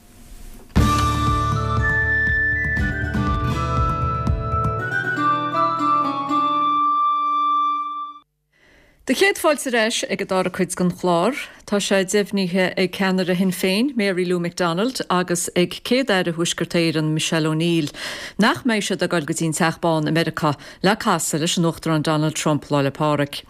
Do chéad fáilte ar ais ag an dara cuid den chlár. Tá sé deimhnithe ag ceannaire Shinn Féin, Mary Lou McDonald, agus ag Céad-Aire Thuaisceart Éireann, Michelle O'Neill, nach mbeidh siad ag dul go dtí an Teach Bán i Meiriceá le casadh leis an Uachtarán Donald Trump Lá 'le Pádraig.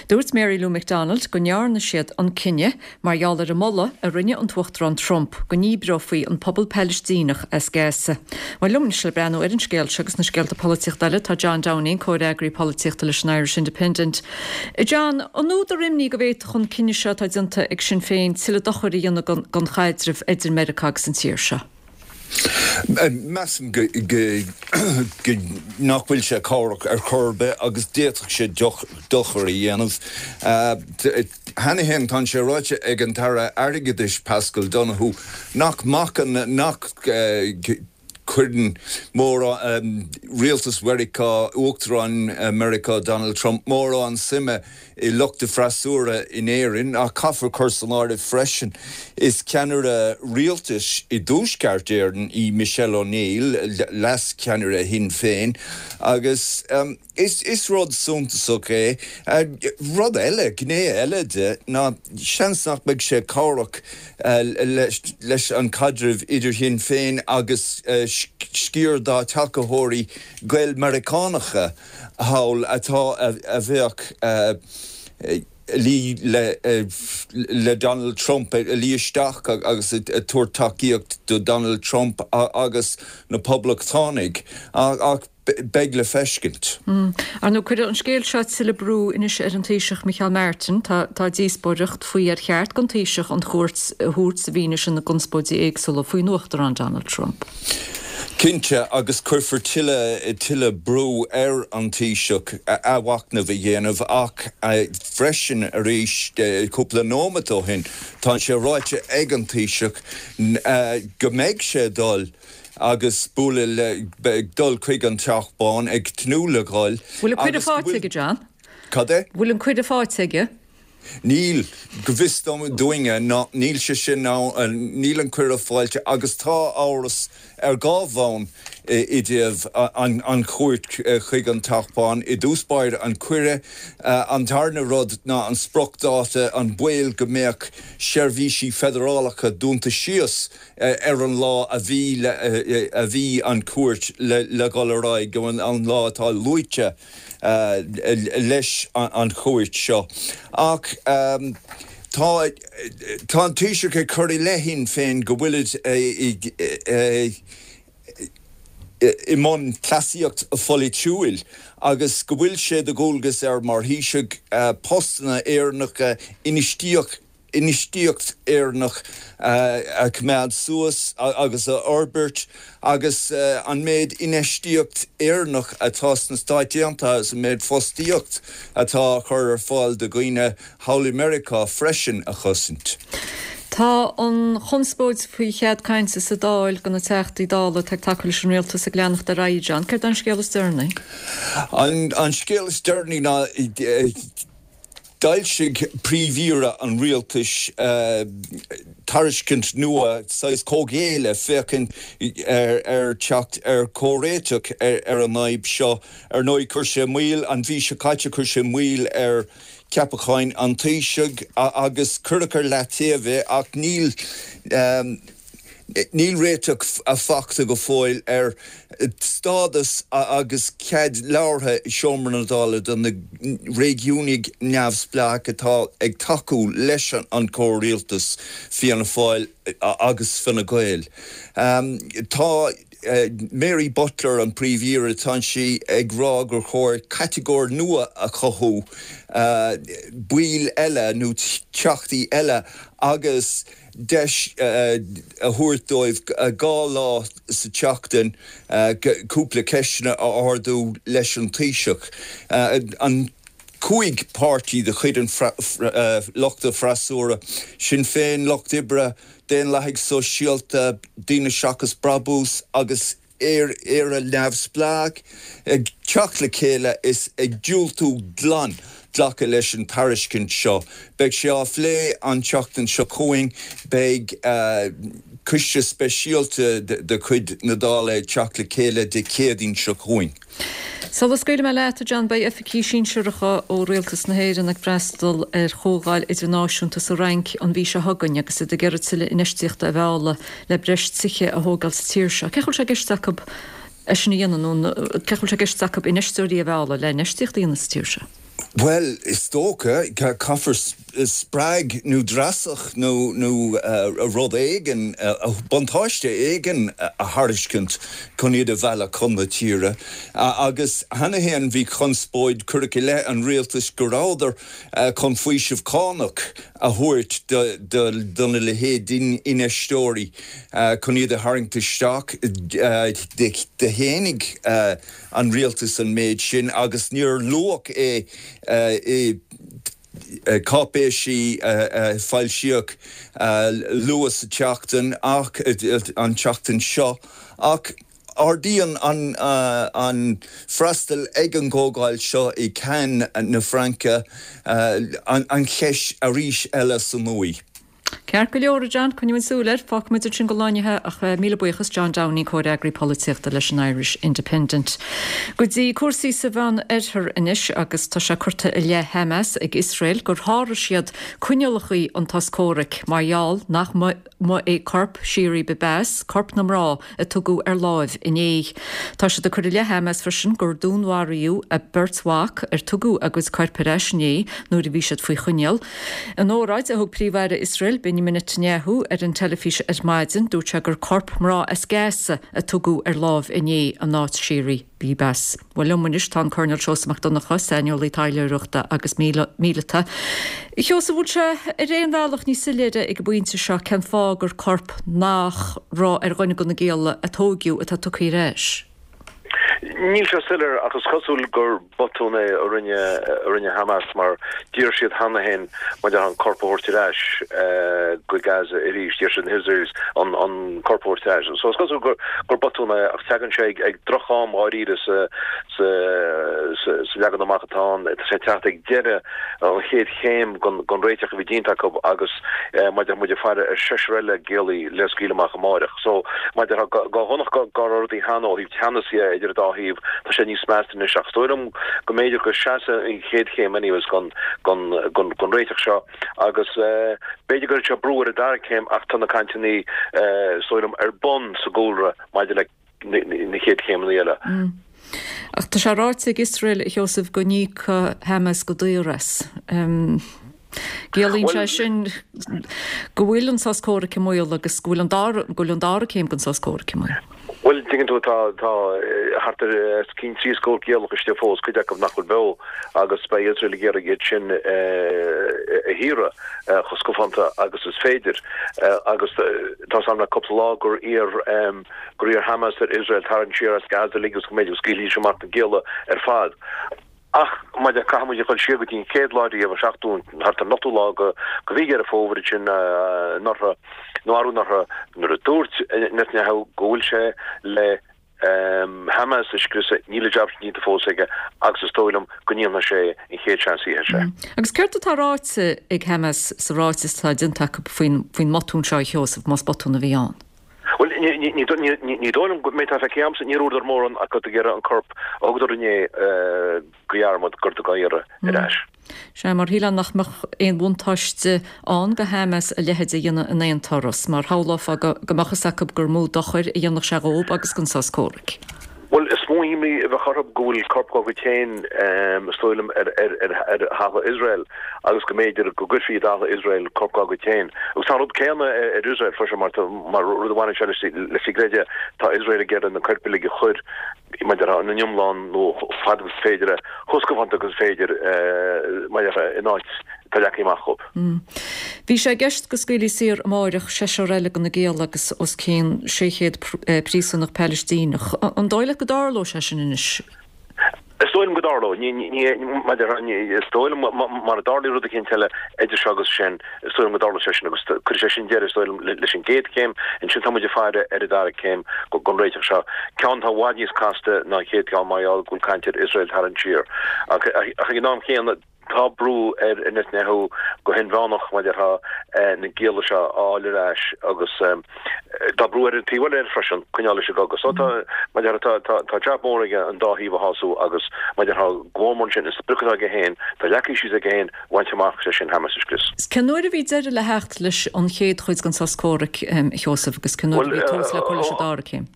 Dúirt Mary Lou McDonald go ndearna siad an cinneadh mar gheall ar an moladh a rinne an tUachtarán Trump go ndíbreofaí an pobal Palaistíneach as Gaza. Bhuel, liom anois le breathnú ar an scéal seo agus na scéalta polaitíochta eile tá John Downing, comhfhreagraí polaitíochta leis an Irish Independent. John, an údar imní go bhféadfadh an cinneadh seo atá déanta ag Sinn Féin tuilleadh dochair a dhéanamh don chaidreamh idir Meiriceá agus an tír seo? Measaim go nach bhfuil sé cabhrach ar chor ar bith agus d'fhéadfadh sé dochar a dhéanamh. Cheana féin tá sé ráite ag an tAire Airgeadais Paschal Donohoe nach mbacann, nach gcuireann mórán, rialtas Mheiriceá, Uachtarán Mheiriceá Donald Trump mórán suime i lucht a freasúra in Éirinn, ach caithfear cur san áireamh freisin, is ceannaire rialtais i dTuaisceart Éireann í Michelle O'Neill, leas-cheannaire Shinn Féin, agus is rud suntasach é. Rud eile, gné eile de, ná seans nach mbeidh sé cabhrach leis an chaidreamh idir Shinn Féin agus sciar dá tacaitheoirí Gael-Meiriceánacha, thall atá a bheadh ag luí le Donald Trump, ag luí isteach agus ag tabhairt tacaíocht do Donald Trump agus na Poblachtánaigh. Ach beidh le feiscint. Ar ndóigh, cuirfidh an scéal seo tuilleadh brú anois ar an Taoiseach Micheál Martin. Tá díospóireacht faoi ar cheart don Taoiseach an chuairt a thabhairt i bhfianaise na gconspóidí éagsúla faoin Uachtarán Donald Trump. Cinnte, agus cuirfear tuilleadh tuilleadh brú ar an Taoiseach athmhachnamh a dhéanamh ach freisin arís, cúpla nóimeat ó shin, tá sé ráite ag an Taoiseach go mbeidh sé ag dul agus bualadh le, ag dul chuig an Teach Bán, ag tnúth le dhul Bhfuil an cuireadh agus go faighte bhfuil. aige, John? Cad é? Bhfuil an cuireadh faighte aige? Níl, go bhfios dúinne, ná níl sé sin ann, níl an cuireadh faighte agus tá amhras ar dhá bhonn i dtaobh an chuairt chuig an Teach Bán. I dtús báire, an cuireadh. An tarna rud ná an spriocdháta, an baol go mbeadh seirbhísí feidearálacha dúnta síos ar an lá a bhí a bhí an chuairt le dhul ar aghaidh, an lá atá luaite. leis an chuairt seo. Ach tá tá an Taoiseach ag cur i leith Shinn Féin go bhfuilid i mbun cleasaíocht pholaitiúil agus go bhfuil sé de dhualgas air mar Thaoiseach postanna Éireannacha, infheistíocht infheistíocht Éireannach a choimeád suas agus a fhorbairt agus an méid infheistíocht Éireannach atá sna Stáit Aontaithe agus an méid fostaíocht atá á chur ar fáil do dhaoine thall i Meiriceá freisin a chosaint. Tá an chonspóid faoi chead cainte sa Dáil do na Teachtaí Dála atá ag tacú leis an Rialtas ag leanacht ar aghaidh, John. Céard é an scéal is deireanaí? An scéal is deireanaí ná D'fhoilsigh Príomh-Aoire an Rialtais tairiscint nua, saghas comhghéilleadh, féachaint ar theacht ar chomhréiteach ar an fhadhb seo. Ar ndóigh, chuir sé moill, an mhí seo caite, chuir sé moill ar cheapacháin an Taoisigh agus cuireadh ar leataobh é ach níl, Níl réiteach fachta go fóill ar stádas agus cead labhartha i Seomra na Dála do na réigiúnaigh neamhspleácha atá ag tacú leis an chomhrialtas, Fianna Fáil agus Fine Gael. Tá Mary Butler, an Príomh-Aoire, tá sí ag rá gur chóir catagóir nua a chothú, baill eile nó teachtaí eile agus deis a thabhairt dóibh 2 lá sa tseachtain cúpla ceisteanna a ardú leis an Taoiseach. An 5 páirtí de chuid an luchta freasúra, Sinn Féin, Lucht Oibre, Daonlathaigh Sóisialta, Daoine Seachas Brabús agus Éire Neamhspleách. teacht le chéile is ag diúltú glan glacadh leis an tairiscint seo. Beidh sé á phlé an tseachtain seo chugainn. Beidh coiste speisialta de chuid na Dála ag teacht le chéile Dé Céadaoin seo chugainn. Sula scaoilfidh mé leat, a John, beidh oifigigh sinsearacha ó Rialtas na hÉireann ag freastal ar chomhdháil idirnáisiúnta sa Fhrainc an mhí seo chugainn agus iad ag iarraidh tuilleadh infheistíochta a mhealladh le breis tithe a thógáil sa tír seo. Cén chaoi a bhfuil sé i gceist acu é sin a dhéanamh nó cén chaoi a bhfuil sé i gceist acu infheisteoirí a mhealladh le infheistíocht a dhéanamh sa tír seo? Bhuel, is dócha, caithfear spreag nó dreasach nó rud éigin, buntáiste éigin a thairiscint chun iad a mhealladh chun na tíre. Agus cheana féin bhí conspóid, cuireadh i leith an rialtais go rabhadar chun faoiseamh cánach a thabhairt do na leithéid d'infheisteoirí chun iad a tharraingt isteach. Shéanaigh an rialtas an méid sin agus níor luadh é i gcáipéisí a foilsíodh luath sa tseachtain ach an tseachtain seo ach ardaíonn an freastal ag an gcomhdháil seo i Cannes na Fraince an cheist arís eile sa ndóigh. Ceart go leor, a John, coinneoidh muid súil air. Fágfaidh muid ansin don lá inniu é ach míle buíochas, John Downing, Comhfhreagraí Polaitíochta leis an Irish Independent. Go dtí cúrsaí sa Mheán Oirthear anois agus tá sé curtha i leith Hamas ag Iosrael gur sháraigh siad coinníollacha an tsos comhraic mar gheall nach mba é corp Shiri Bibas, corp na mná a tugadh ar láimh inné. Tá siad ag cur i leith Hamas freisin gur dúnmharaíodh a beirt mhac ar tugadh a gcuid coirp ar ais inné nuair a bhí siad faoi choinneáil. In óráid a thug Príomh-Aire Iosrael, Benjamin Netanyahu, ar an teilifís ar maidin, dúirt sé gur corp mná as Gaza a tugadh ar láimh inné in áit Shiri Bibas. Bhuel, liom anois tá an Coirnéal Seosamh Mac Donncha, saineolaí taidhleoireachta agus míleata. A Sheosaimh, bhfuil sé ar aon bhealach níos soiléire ag an bpointe seo cén fáth gur corp nach raibh ar dhuine de na gialla a tóigeadh atá tugtha ar ais? Níl sé soiléir ach is cosúil gur botún é a rinne a rinne Hamas mar d'iarr siad cheana féin maidir an corp a thabhairt ar ais go Gaza arís, d'iarr siad na hIsraelis an an corp a thabhairt ar ais. So is cosúil gur gur botún é ach tagann sé ag ag droch-am dháiríre sa sa sa sa leagan amach atá ann. Tá sé ag teacht ag deireadh an chéad chéim den den réiteach a bhí déanta acu agus maidir muid ag faire ar seisear eile giallaí le scaoileadh amach amáireach. So, maidir le go dhonach go raibh rudaí cheana ó thaobh teannas dhe idir an dá thaobh, tá sé níos measa anois. Ach is dóigh liom go mb'fhéidir go seasfaidh an chéad chéim anyways den den réiteach seo agus b'fhéidir go gcuirfidh sé brú ar an dara céim ach tá na cainteanna is dóigh liom ar bun sa gcúlra maidir le na chéad chéimeanna eile. Ach tá sé ráite ag Iosrael, a Sheosaimh, go n-íocfaidh Hamas go daor as. Ciallaíonn sé sin go bhfuil an sos comhraic i mbaol agus go bhfuil an dara, go bhfuil an dara céim den sos comhraic i mbaol. Bhuel, tuigeann tú, tá, tá thart ar os cionn 30 giallach istigh fós, cuid acu nach bhfuil beo, agus beidh Iosrael ag iarraidh iad sin a shaoradh chomh scafánta agus is féidir. Agus tá 's a'm le cúpla lá gur iarr, gur iarr Hamas ar Iosrael tarraingt siar as Gaza uilig agus go mb'fhéidir go scaoilfidís amach na gialla ar fad. Ach maidir caithfidh muid a dhul siar go dtí an chéad lá riamh, an seachtú, thart ar an ochtú lá de mhí Dheireadh Fómhair ansin anuraidh, nó arú anuraidh, nuair a dúirt Netanyahu go bhfuil sé le Hamas a scriosadh, níl an jab sin déanta fós aige agus is dóigh liom go ndéanfaidh sé é an chéad seans a fhaighidh sé. Agus céard atá ráite ag Hamas sa ráiteas atá déanta acu faoin mbotún seo, a Sheosaimh, más botún a bhí ann? Bhuel, ní dóigh liom go mbeidh tá feicthe agamsa, níor dhúradar mórán ach ag iarraidh an corp a thugadar inné de dhearmad gur dá iarraidh ar ais. Sea, mar shílfeá nach mbeadh aon bhuntáiste ann do Hamas a leithéid a dhéanamh in aon turas, mar shamhlófá go mbeadh fhios acu gur mó dochair a dhéanfadh sé dhóib agus don sos comhraic. Bhuel, is mó imní a bheadh orthu go bhfuil corp dá gcuid féin, is dóigh liom, ar thalamh Iosrael agus go mb'fhéidir go gcuirfí i dtalamh Iosrael corp dá gcuid féin. Agus tá an rud céanna ar Iosrael freisin, mar mar rud a bhaineann sé leis an gcreideamh, tá Iosrael ag iarraidh na coirp uilig a chur, mar a déarfá, ina n-iomlán nó fad agus is féidir, chomh scafánta agus is féidir, mar a déarfá, in áit atá leagtha amach dhóibh. Bhí sé i gceist go scaoilfí saor amáireach seisear eile de na gialla agus os cionn 600 príosúnach Palaistíneach. An dóigh leat go dtarlóidh sé sin anois? Is dóigh liom go dtarlóidh. Maidir is dóigh liom mara dtarlaíonn rud eicínt eile idir seo agus sin, is dóigh liom go dtarlóidh sé sin agus cuirfidh sé sin deireadh, is dóigh liom, leis an gcéad chéim. Ansin tá muid ag faire ar an dara céim den réiteach seo, ceann atá i bhfad níos casta ná an chéad cheann mar gheall go bhfuil caint ar Iosrael tarraingt siar. Ach ag an am chéanna, Tá brú ar Netanyahu go hinmheánach mar a déarfá na gialla seo a fháil ar ais agus tá brú ar an taobh eile air freisin coinneáil leis an gcogadh. So tá, mar a déarfá, tá, tá jab mór aige an dá thaobh a shású agus mar a déarfá go mór mór ansin an sprioc atá aige féin, atá leagtha síos aige féin a bhaint amach, sé sin Hamas a scrios. Cén uair a bhí deireadh le theacht leis an chéad chuid den sos comhraic, a Sheosaimh, agus cén uair a bhí tús le cur leis an dara céim?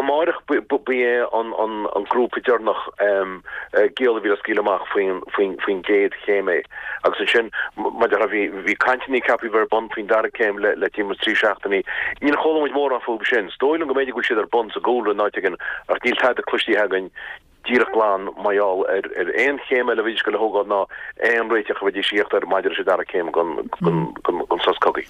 Amáireach ba é an grúpa deireanach giall a bhí le scaoileadh amach faoin gcéad chéim é. Agus ansin, mar a déarfá, bhí cainteanna ceaptha a bheith ar bun faoin dara céim le timpeall is trí seachtainí. Níor chuala muid mórán fúthu sin. Is dóigh liom go mb'fhéidir go bhfuil siad ar bun sa gcúlra in áit éigin ach níl tada cloistí againn díreach glan mar gheall ar aon chéim eile a bheidís ag goil a thógáil ná aon réiteach a bheidís ag tíocht air maidir leis an dara céim den sos cogaidh.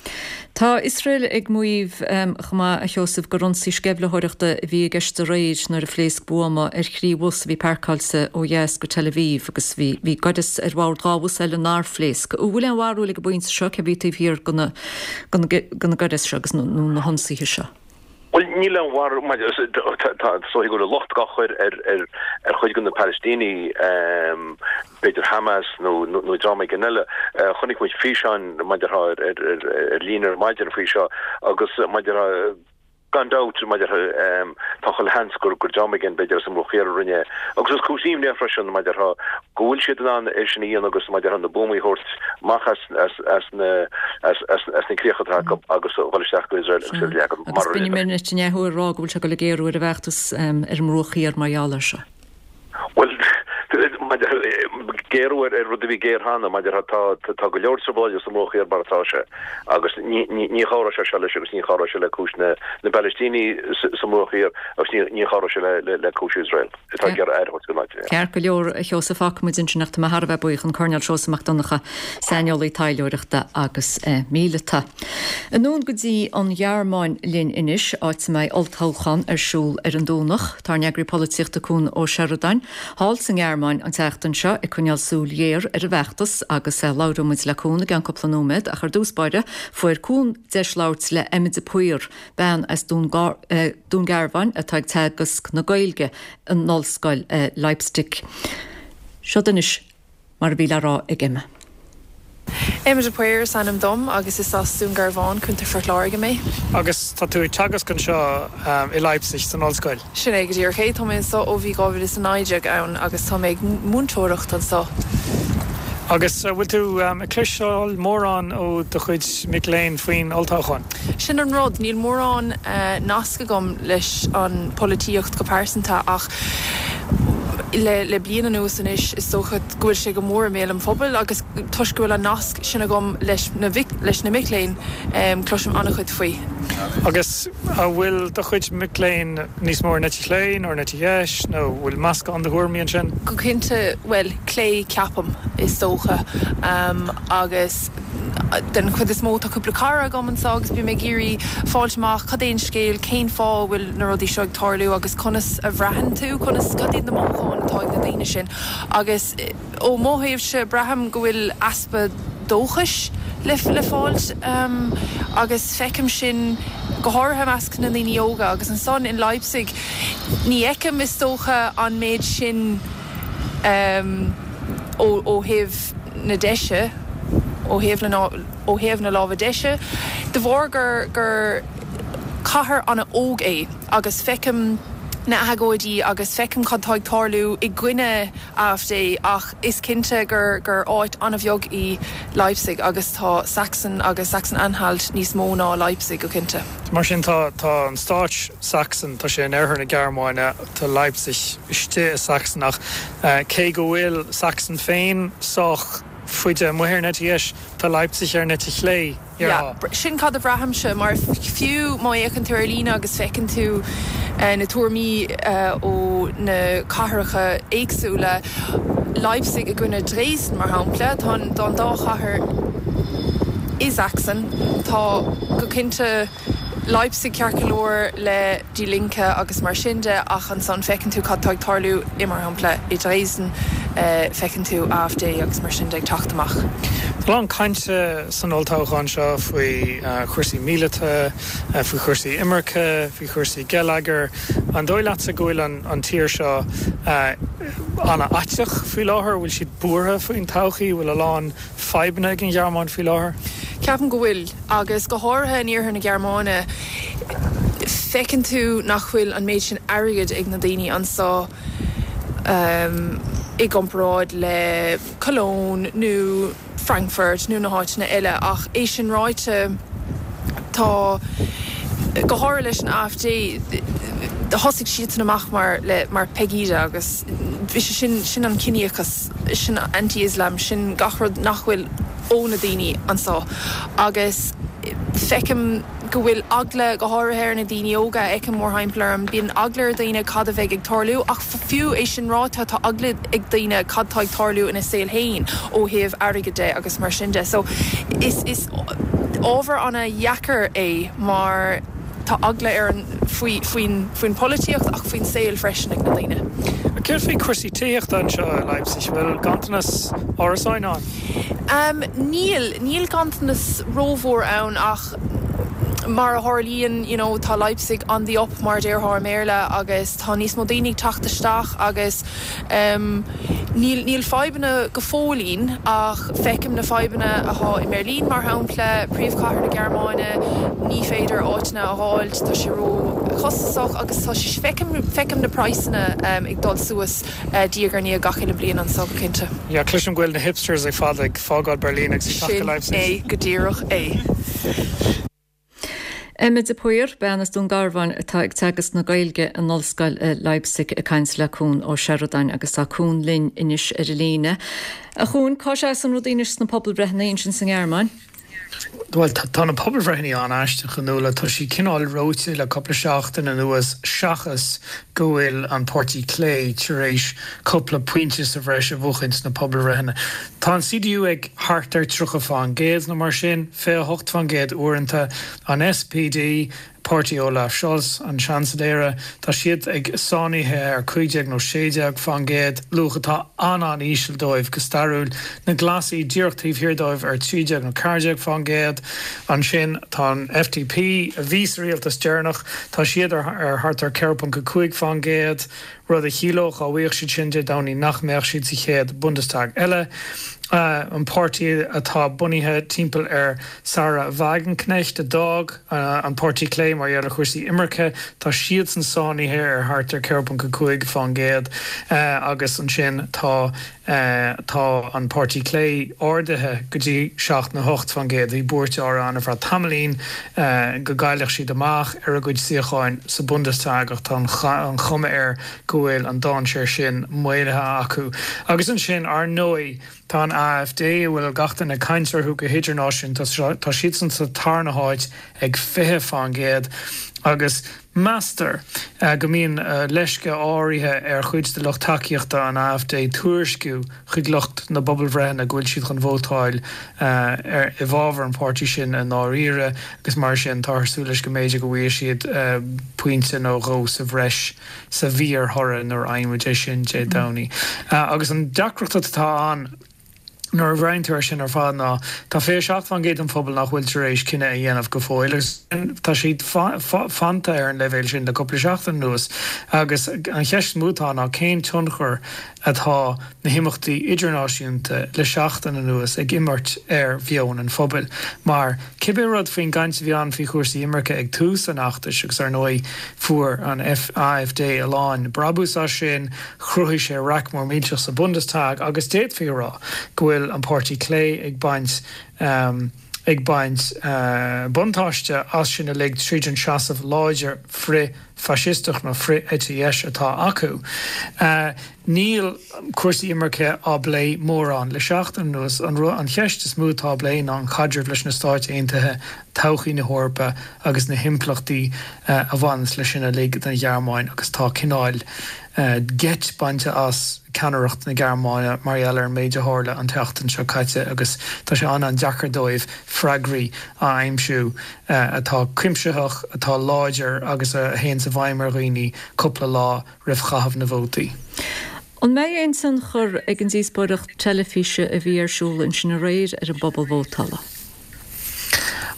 Tá Iosrael ag maíomh chomh maith, a Sheosaimh, gur ionsaí sceimhlitheoireachta a bhí i gceist aréir nuair a phléasc buama ar thrí bhus a bhí pairceáilte ó dheas go Tel Aviv agus bhí bhí gaireas ar bhord 2 bhus eile nár phléasc. An bhfuil aon bharúil ag an bpointe seo cé a bhí taobh thiar de na gairis seo agus nó na hionsaithe seo? Bhuel, níl aon bharúil maidir, is dóigh go bhfuil an locht á chur ar ar chuid de na Palaistínigh, b'fhéidir Hamas nó nó dream éigin eile. Chonaic muid físeáin mar a déarfá ar líne ar maidin faoi seo agus mar a déarfá gan dabht mar a déarfá tá chuile sheans gur gur dream éigin b'fhéidir as an mBruach Thiar a rinne é. Agus is cúis imní é freisin mar a déarfá go bhfuil siad in ann é sin a dhéanamh agus mar a déarfá na buamaí a thabhairt amach as na críocha atá acu agus a dhul isteach go Iosrael agus iad a leagan mar a rinneadar. Agus Benjamin Netanyahu ag rá go bhfuil sé ag dul ag géarú ar an bhfeachtas ar an mBruach Thiar mar gheall air seo. Bhuel, géarú ar rud a bhí géar cheana, mar a déarfá tá go leor trioblóide sa mBruach Thiar mar atá sé agus ní chabhróidh sé seo leis agus ní chabhróidh sé le cúis na bPalaistínigh sa mBruach Thiar agus ní chabhróidh sé le cúis Iosrael. atá ag iarraidh aire a thabhairt don áit. Ceart go leor, a Sheosaimh, fágfaidh muid ansin ach tá mé thar a bheith buíoch, an Coirnéal Seosamh Mac Donncha, saineolaí taidhleoireachta agus míleata. Anonn go dtí an Ghearmáin linn anois, áit a mbeidh olltoghchán ar siúl ar an Domhnach. Tá ár n-eagraí polaitíochta Cuan Ó Seireadáin thall sa nGearmáin an tseachtain seo ag coinneáil súil ghéar ar an bhfeachtas agus labhróidh muid le Cuan i gceann cúpla nóiméad ach ar dtús báire fuair Cuan deis labhairt le Emma de Paor, bean as Dún Garbhán atá ag teagasc na Gaeilge in Ollscoil Leipzig. Seod anois mar a bhí le rá ag Emma. Emma de Paor is ainm dom agus is as Dún Garbhán, Contae Phort Láirge mé. Agus tá tú ag teagasc anseo i Leipzig san ollscoil? Sin é go díreach é. Tá mé anseo ó bhí 2019 ann agus tá mé ag múinteoireacht anseo. Agus an bhfuil tú ag cloisteáil mórán ó do chuid mic léinn faoin olltoghchán? Sin an rud, níl mórán nasc agam leis an polaitíocht go pearsanta ach le bliain anuas anois is dócha go bhfuil sé go mór i mbéal an phobail agus toisc go bhfuil an nasc sin agam leis na leis na mic léinn cloisim an-chuid faoi. Agus an bhfuil do chuid mic léinn níos mó ar an eite chlé nó ar an eite dheis nó an bhfuil meascán de thuairimí ansin? Go cinnte, bhuel, clé ceapaim is dócha agus. Den chuid is mó tá cúpla cara agam anseo agus bím ag iarraidh fáilt amach cad é an scéal, cén fáth a bhfuil na rudaí seo ag tarlú agus conas a bhraitheann tú, conas, cad iad na mothúcháin atá ag na daoine sin. Agus ó mo thaobhse braithim go bhfuil easpa dóchais le le fáilt agus feicim sin go háirithe i measc na ndaoine óga agus ansan in Leipzig ní fheicim is dócha an méid sin ó thaobh na deise, ó thaobh na, ó thaobh na láimhe deise, de bharr gur, gur cathair an-óg é agus feicim na agóidí agus feicim cad tá ag tarlú i gcoinne AfD ach is cinnte gur, gur áit an-bheag í Leipzig agus tá Sachsen agus Sachsen-Anhalt níos mó ná Leipzig go cinnte. Mar sin tá, tá an stáit Sachsen, tá sé in oirthear na Gearmáine, tá Leipzig istigh i Sachsen ach cé go bhfuil Sachsen féin sách faide amuigh ar an eite dheis, tá Leipzig ar an eite chlé, déarfá. Yeah, sin cad a bhraithimse, mar fiú má fhéachann tú ar líne agus feiceann tú na tuairimí ó na cathracha éagsúla, Leipzig i gcoinne Dresden, mar shampla, tá an dá chathair i Sachsen, tá go cinnte. Leipzig ceart go leor le Die Linke agus mar sin de ach ansan feiceann tú cad tá ag tarlú i mar shampla i Dresden, feiceann tú AfD agus mar sin de ag teacht amach. Tá a lán cainte san olltoghchán seo faoi chúrsaí míleata, faoi chúrsaí imirce, faoi chúrsaí geilleagair. An dóigh leatsa go bhfuil an tír seo an-fhaiteach faoi láthair? Bhfuil siad buartha faoin todhchaí? Bhfuil a lán fadhbanna ag an Ghearmáin faoi láthair? Ceapaim go bhfuil, agus go háirithe in iarthar na Gearmáine, feiceann tú nach bhfuil an méid sin airgid ag na daoine anso i gcomparáid le Cologne nó Frankfurt nó na háiteanna eile. Ach é sin ráite, tá, go háirithe leis an AfD, thosaigh siadsan amach mar le mar Pegida agus bhí sé sin, sin an ciníochas. sin anti-Islam, sin gach rud nach bhfuil ó na daoine anso agus feicim go bhfuil eagla, go háirithe ar na daoine óga a fheicim mórthimpeall orm, bíonn eagla ar dhaoine cad a bheidh ag tarlú ach fiú é sin ráite tá eagla ag daoine cad tá ag tarlú ina saol féin ó thaobh airgid de agus mar sin de. So is is ábhar ana-dheacair é mar. Tá eagla ar an, faoi, faoin, faoin pholaitíocht ach faoin saol freisin ag na daoine. Céard faoi chúrsaí tithíochta anseo i Leipzig? Bhfuil ganntanas árasáin ann? Em, níl, níl ganntanas rómhór ann ach mar a tharlaíonn, you know, tá Leipzig on the up mar a déarfá i mBéarla agus tá níos mó daoine ag teacht isteach agus, Níl, níl fadhbanna go fóillín ach feicim na fadhbanna athá i mBeirlín mar shampla, príomhchathair na Gearmáine, ní féidir áiteanna a dh'fháilt, tá sé ró chostasach agus tá sé, feicim, feicim na praghsanna ag dul suas diaidh ar ndiaidh gach uile bliain anso go cinnte. Yeah, cloisim go bhfuil na hipsters ar fad ag fágáil Berlin agus ag teacht go Leipzig. Sin é go díreach é. Emma de Paor, bean as Dún Garbhán atá ag teagasc na Gaeilge in Ollscoil Leipzig ag caint le Cuan Ó Seireadáin agus tá Cuan linn anois ar an líne. A Chuain, cá seasann rudaí anois sna pobalbhreitheanna ansin sa nGearmáin? Bhuel, tá na pobalbhreitheanna an-aisteach, a Nuala. Tá siad cineál reoite le cúpla seachtain anuas seachas go bhfuil an Páirtí Clé tar éis cúpla pointe sa bhreis a bhuachaint sna pobalbhreitheanna. Tá an CDU ag thart ar 30 fán gcéad nó mar sin, 28 fán gcéad uaireanta. An SPD, páirtí Olaf Scholz, an Seansailéara, tá siad ag sáinnithe ar 15 nó 16 fán gcéad, luach atá an-an-íseal dóibh go stairiúil. Na Glasaigh díreach taobh thiar dóibh ar 13 nó 14 fán gcéad. Ansin tá an FDP, a bhí sa rialtas deireanach, tá siad ar thart ar 4.5 fán gcéad. rud a chiallódh, dá bhfaigheadh siad sin Dé Domhnaigh, nach mbeadh siad sa chéad Bundestag eile. An páirtí atá bunaithe timpeall ar Sahra Wagenknecht, a d'fhág an Páirtí Clé mar gheall ar chúrsaí imirce, tá siadsan sáinnithe ar thart ar 4.5 fán gcéad agus ansin tá Tá an Páirtí Clé ardaithe go dtí 7 nó 8 fán gcéad. Bhí buairt áirithe ann ar feadh tamaillín go gcaillfeadh siad amach ar a gcuid suíocháin sa Bundestag ach tá an chuma air go bhfuil an dainséar sin maolaithe acu. Agus ansin, ar ndóigh, tá an AfD, a bhfuil gach duine ag caint orthu go hidirnáisiúnta, tá siadsan sa tarna háit ag 20 fán gcéad agus Meastar go mbíonn leisce áirithe ar chuid de lucht tacaíochta an AfD tuairisciú chuig lucht na bpobalbhreitheanna go bhfuil siad chun vótáil i bhfabhar an pháirtí sin i ndáiríre agus mar sin táthar ag súil leis go mb'fhéidir go bhfaighidh siad pointe nó dhó sa bhreis sa bhfíorthoradh nuair a fhaigheann muid é sin Dé Domhnaigh. Agus an deacracht atá ann. Nuair a bhreathnaíonn tú air sin ar fad ná tá 27% den phobal nach bhfuil tar éis cinneadh a dhéanamh go fóill agus tá siad fanta ar an leibhéal sin le cúpla seachtain anuas agus an cheist is mó atá ná cén tionchar atá na himeachtaí idirnáisiúnta le seachtain anuas ag imirt ar mheon an phobail mar cibé rud faoin gcaint a bhí ann faoi chúrsaí imirce ag tús an fheachtais agus ar ndóigh fuair an AfD a lán brabús as sin Chruthaigh sé raic mór millteach sa Bundestag agus d'fhéadfaí a rá go bhfuil an Páirtí Clé ag baint ag baint buntáiste as sin uilig tríd an seasamh láidir frith-fhaisisteach nó frith-eite dheis atá acu. Níl cúrsaí imirce á bplé mórán le seachtain anuas. An cheist is mó atá á bplé ná an caidreamh leis na Stáit Aontaithe, todhchaí na hEorpa agus na himpleachtaí a bhaineanns leis sin uilig don Ghearmáin agus tá cineál. Geit bainte as ceannaireacht na Gearmáine mar gheall ar an méid a tharla an tseachtain seo caite agus tá sé an-an-deacair dóibh freagraí a aimsiú atá cuimsitheach, atá láidir agus a théanns i bhfeidhm ar dhaoine cúpla lá roimh chaitheamh na vótaí. An mbeidh aon tionchar ag an díospóireacht teilifíse a bhí ar siúl ansin aréir ar an bpobal vótála?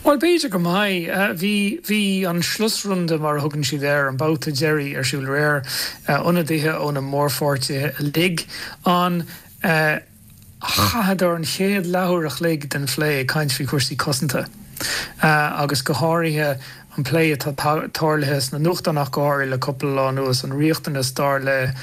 Bhuel, b'fhéidir go mbeidh. Bhí, bhí an Schlussrunde, mar a thugann siad air, an babhta deiridh, ar siúl aréir. Ionadaithe ó na mórpháirtithe uilig ann. Chaitheadar an chéad leathuair a chloig den phlé ag caint faoi chúrsaí cosanta agus go háirithe an plé atá tarlaithe sna nuachtáin ach go háirithe le cúpla lá anuas, an riachtanas, dar le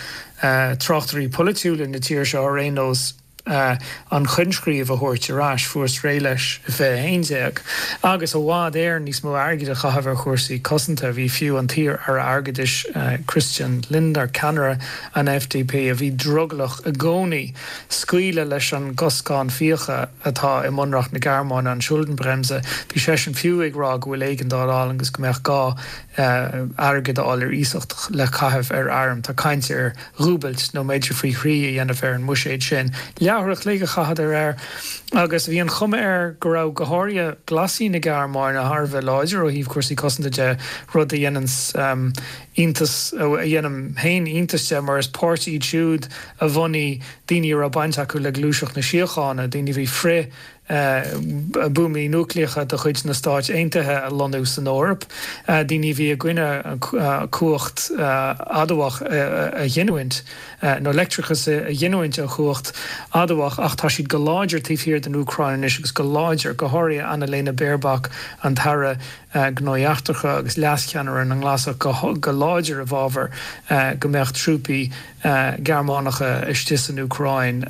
tráchtairí polaitiúla na tíre seo ar aon nós, an coinscríobh a thabhairt ar ais, fuarthas réidh leis i 2011, agus i bhfad Éireann níos mó airgid a chaitheamh ar chúrsaí cosanta. Bhí fiú an t-iar-aire airgeadais Christian Lindner, ceannaire an FDP, a bhí drogallach i gcónaí scaoileadh leis an gcoscán fiacha atá i mbunreacht na Gearmáine, an Schuldenbremse, bhí seisean fiú ag rá go bhfuil éigeandáil ann agus go mbeadh gá airgead a fháil ar iasacht le caitheamh ar airm. Tá caint ar dhúbailt nó b'fhéidir faoi thrí a dhéanamh ar an mbuiséad sin. Leathuair a chloig a chaitheadar air agus bhí an chuma air go raibh go háirithe Glasaigh na Gearmáine thar a bheith láidir ó thaobh cúrsaí cosanta de, rud a dhéananns iontas, a dhéanaim féin iontas de mar is páirtí iad siúd a bhunaigh daoine a raibh baint acu le Gluaiseacht na Síochána, daoine a bhí frith buamaí núicléacha de chuid na Stáit Aontaithe a lonnú san Eoraip, daoine a bhí i gcoinne cumhacht adamhach a ghiniúint, nó leictreachas a ghiniúint ó chumhacht adamhach, ach tá siad go láidir taobh thiar den Úcráin anois agus go láidir, go háirithe Annalena Baerbock, an tAire Gnóthaí Eachtracha agus leascheannaire na nGlasach, go láidir i bhfabhar go mbeadh trúpaí Gearmánacha istigh san Úcráin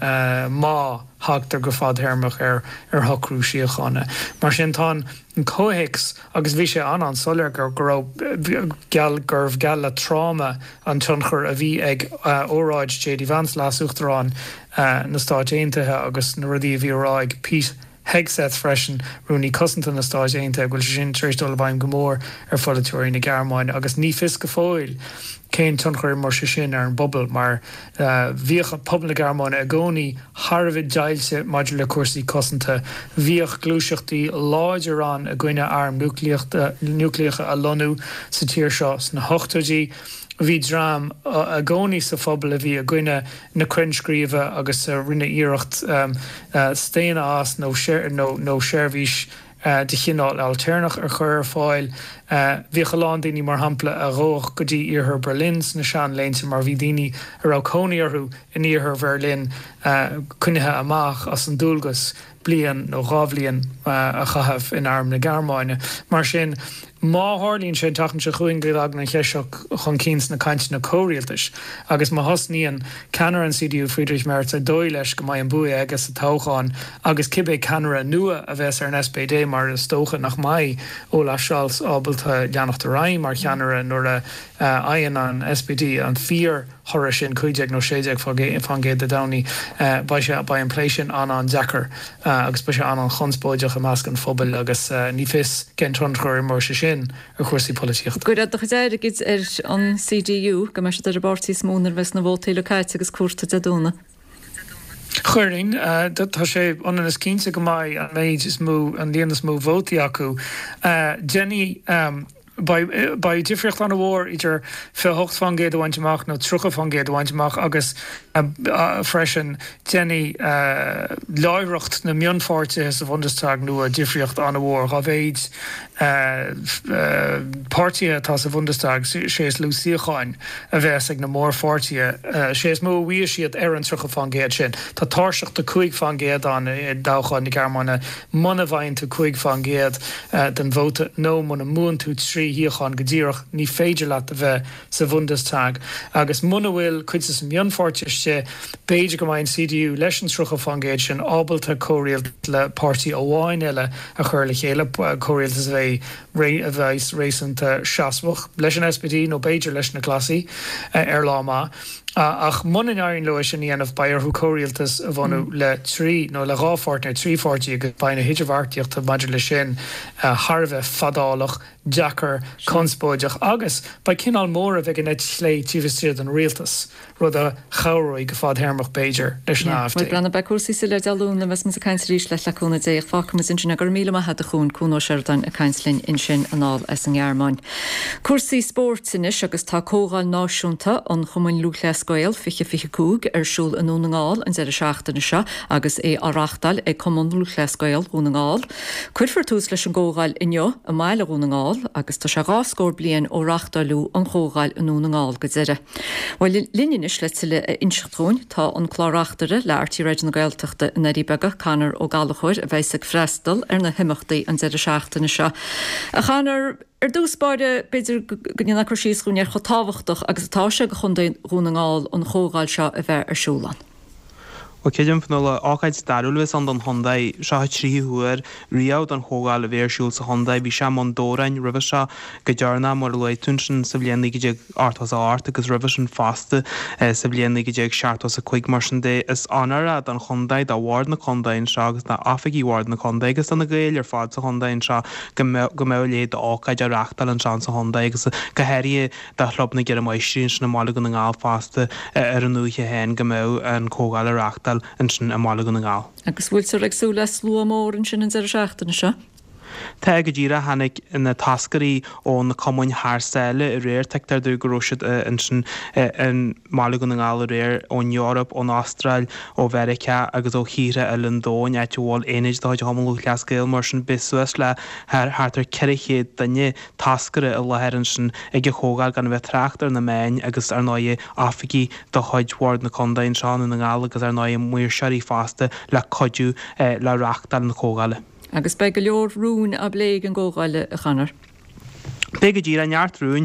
má thagtar go fadtéarmach ar shocrú síochána. Mar sin, tá an comhthéacs, agus bhí sé an-an-soiléir go raibh, geall, gurbh geall le tráma an tionchar a bhí ag óráid JD Vance, Leas-Uachtarán na Stáit Aontaithe, agus na rudaí a bhí á rá ag Pete Hegseth freisin, Rúnaí Cosanta na Stáit Aontaithe, go bhfuil sé sin tar éis dul i bhfeidhm go mór ar pholaiteoirí na Gearmáine agus ní fios go fóill cén tionchar a imreoidh sé sin ar an bpobal mar bhíodh pobal na Gearmáine i gcónaí thar a bheith deighilte maidir le cúrsaí cosanta. Bhíodh gluaiseachtaí láidir ann i gcoinne airm núicléacha a lonnú sa tír seo sna hochtóidí. Bhí dream i gcónaí sa phobal a bhí i gcoinne na coinscríbe agus a rinne iarracht staonadh as nó nó seirbhís de chineál ailtéarnach a chur ar fáil. Bhíodh a lán daoine, mar shampla, a ghabhadh go dtí iarthar Berlin sna seanléinte mar bhí daoine a raibh cónaí orthu in iarthar Bheirlin coinnithe amach as an dualgas bliain nó 2 bhliain a chaitheamh in arm na Gearmáine. Mar sin, má tharlaíonn sé an tseachtain seo chugainn go dtagann an cheist seo chun cinn sna cainteanna comhrialtais agus má thosnaíonn ceannaire an CDU Friedrich Merz ar dóigh leis go mbeidh an bua aige sa toghchán agus cibé ceannaire nua a bheas ar an SPD mar is dócha nach mbeidh Olaf Scholz ábalta leanacht ar aghaidh mar cheannaire nuair a fhaigheann an SPD an fíor thoradh sin, 15 nó 16% Dé Domhnaigh, beidh sé, beidh an plé sin an-an-deacair agus beidh sé an-an-chonspóideach i measc an phobail agus ní fios cén tionchar a imreoidh sé sin ar chúrsaí polaitíochta. Gcuirfeá do chuid airgid ar an CDU go mbeidh siad ar an bpáirtí is mó nuair a bheas na vótaí uilig caite agus comhairte Dé Domhnaigh? Chuirfinn. Tá sé ionann is cinnte go mbeidh an méid is mó, an líon is mó vótaí acu. Déanfaidh. Beidh difríocht an-mhór idir 28% a bhaint amach nó 30% a bhaint amach agus freisin déanfaidh láithreacht na mionpháirtithe sa Bhundestag nua difríocht an-mhór. Dá mhéid páirtithe atá sa Bhundestag, sé is lú suíocháin a bheas ag na mórpháirtithe, sé is mó a bhfaighidh siad ar an 30% sin. Tá tairseach de 5% ann i dtoghcháin na Gearmáine. Muna bhfaigheann tú 5% den vóta nó muna mbuann tú 3 shuíochán go díreach, ní féidir leat a bheith sa Bhundestag. Agus muna bhfuil cuid de na mionpháirtithe istigh, b'fhéidir go mbeidh an CDU, leis an 30% sin, ábalta comhrialtas le páirtí amháin eile a chur le chéile, comhrialtas a bheidh a bheas réasúnta seasmhach, leis an SPD nó b'fhéidir leis na Glasaigh ar lá maith. Ach muna n-éiríonn leo é sin a dhéanamh, beidh orthu comhrialtas a bhunú le trí, nó le dhá pháirtí nó trí pháirtí agus beidh na hidirbheartaíochta maidir leis sin thar a bheith fadálach, deacair. ábhar conspóideach agus beidh cineál móramh ag an eite chlé taobh istigh den rialtas, rud a chabhróidh go fadthéarmach, b'fhéidir, leis an AfD. Bhuel, breathnaigh, beidh cúrsaí soiléir Dé Luain nuair a bheas muid ag caint arís leat le cúnamh Dé ach fágfaidh muid ansin é. Go raibh míle maith agat a Chuain, Cuan Ó Seireadáin ag caint linn ansin anall as an nGearmáin. Cúrsaí spóirt anois agus tá Comhdháil Náisiúnta an Chumainn Lúthchleas Gael 2025 ar siúl i nDún na nGall an deireadh seachtaine seo agus é á reáchtáil ag Cumann Lúthchleas Gael Dhún na nGall. Cuirfear tús leis an gcomhdháil inniu i mbaile Dhún na nGall agus tá sé 20 scór bliain ó reáchtáileadh an chomhdháil i nDún na nGall go deireadh. Bhuel, linn anois le tuilleadh a inseacht dhúinn tá an Clár-Reachtaire le RTÉ Raidió na Gaeltachta i nDoirí Beaga, Conor Ó Gallchóir, a bheas ag freastal ar na himeachtaí an deireadh seachtaine seo. A Chonor, ar dtús báire, b'fhéidir go ndéanfá cur síos dhúinn ar chomh tábhachtach agus atá sé do Chontae Dhún na nGall an chomhdháil seo a bheith ar siúl ann. Bhuel, creidim, Fionnuala, ócáid stairiúil a bheas ann don chontae. Seo an tríú huair riamh don chomhdháil a bheith ar siúl sa chontae. Bhí sé i mBun Dobhráin roimhe seo go deireanach, mar a luaigh tú ansin, sa bhliain 1988 agus roimhe sin fosta sa bhliain 1975. Mar sin de, is onóir é don chontae, do Bhord na Contae anseo agus d'oifigigh Bhord na Contae agus do na Gaeil ar fad sa chontae anseo go mbeadh a leithéid d'ócáid á reáchtáil anseo sa chontae agus go háirithe do Chlub na gCeithre Máistrí ansin i mBaile Dhún na nGall fosta ar an oíche féin go mbeadh an chomhdháil á reáchtáil ansin i mBaile Dhún na nGall. Agus bhfuiltear ag súil le slua mór ansin an deireadh seachtaine seo? Tá, go díreach. Tháinig na toscairí ó na cumainn thar sáile aréir. Tuigtear domh go raibh siad ansin i mBaile Dhún na nGall aréir ón Eoraip, ón Astráil, ó Mheiriceá agus ó thíortha eile an domhain, áit a bhfuil aonaid de chuid Chumann Lúthchleas Gael. Mar sin beidh suas le thart ar 400 duine toscaire i láthair ansin ag an chomhdháil, gan a bheith ag trácht ar na meáin agus, ar ndóighe, oifigigh de chuid Bhord na Contae anseo i nDún na nGall agus, ar ndóighe, maoirseoirí fosta le cuidiú le reáchtáil na comhdhála. Agus beidh go leor rúin á bplé ag an gcomhdháil, a Chonor. Beidh go díreach, neart rúin,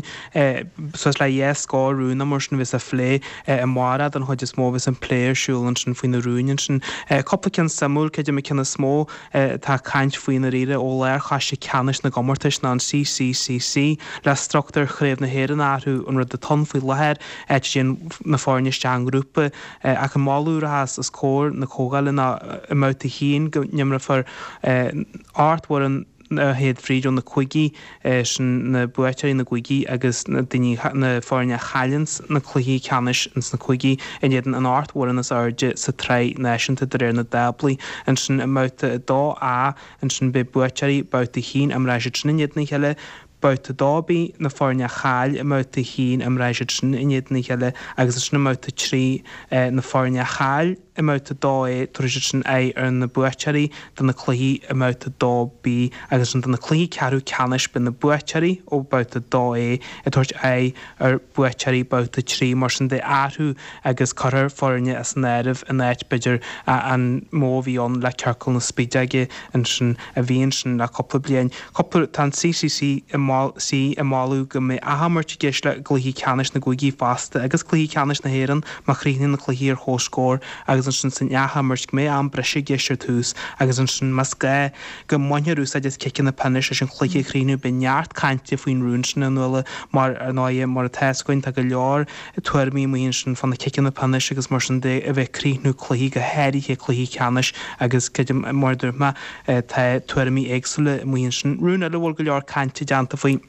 suas le dhá scór rún nó mar sin a bheas á phlé amárach den chuid is mó, a bheas an plé ar siúl ansin faoi na rúin ansin. Cúpla ceann suimiúil, creidim an ceann is mó, Tá caint faoi ndáiríre ó Lárchoiste Ceannais na gComórtais ná an CCCC le struchtúr Chraobh na hÉireann a athrú, an rud atá ann faoi láthair, áit a dtéann na foirne isteach i ngrúpa. Ach an moladh a rachas os comhair na comhdhála ná i mbabhta a haon go n-imreofar 8 bhfoireann a théid fríd ó na cúigí. Sin na buaiteoirí na gcúigí agus na daoine, na foirne a chailleanns na cluichí ceannais ins na cúigí in éadan an 8 bhfoireann is airde sa tsraith náisiúnta de réir na dtáblaí. Ansin i mbabhta 2A, ansin beidh buaiteoirí babhta 1, imreoidh siad sin in éadan a chéile, babhta 2B, na foirne a chaill i mbabhta 1, imreoidh siad sin in éadan a chéile agus ansin i mbabhta 3, na foirne a chaill. I mbabhta 2A, tabharfaidh siad sin aghaidh ar na buaiteoirí de na cluichí i mbabhta 2B agus ansin do na cluichí ceathrú ceannais beidh na buaiteoirí ó bhabhta 2A ag tabhairt aghaidh ar bhuaiteoirí babhta 3. Mar sin de athrú agus cuirfear foirne as an áireamh in áit b'fhéidir an modh a bhí ann le Ciorcal na Spideoige ansin a bhí ansin le cúpla bliain. Cúpla, tá an CCC ag moladh go mbeidh athimirt i gceist le gcluichí ceannais na gcúigí fosta agus cluichí ceannais na hÉireann má chríochnaíonn na cluichí ar comhscór agus ansin san athimirt go mbeidh am breise i gceist ar tús agus ansin más gá go mbainfear úsáid as ciceanna pionóis leis an chluiche a chríochnú. Beidh neart cainte faoin rún sin, a Fhionnuala, mar ar ndóighe mar atá fhios againn tá go leor tuairimí amuigh ansin fá na ciceanna pionóis agus mar sin de a bheith ag críochnú cluichí, go háirithe cluichí ceannais agus creidim, mar a dúirt mé, tá tuairimí éagsúla amuigh ansin. Rún eile a bhfuil go leor cainte déanta faoi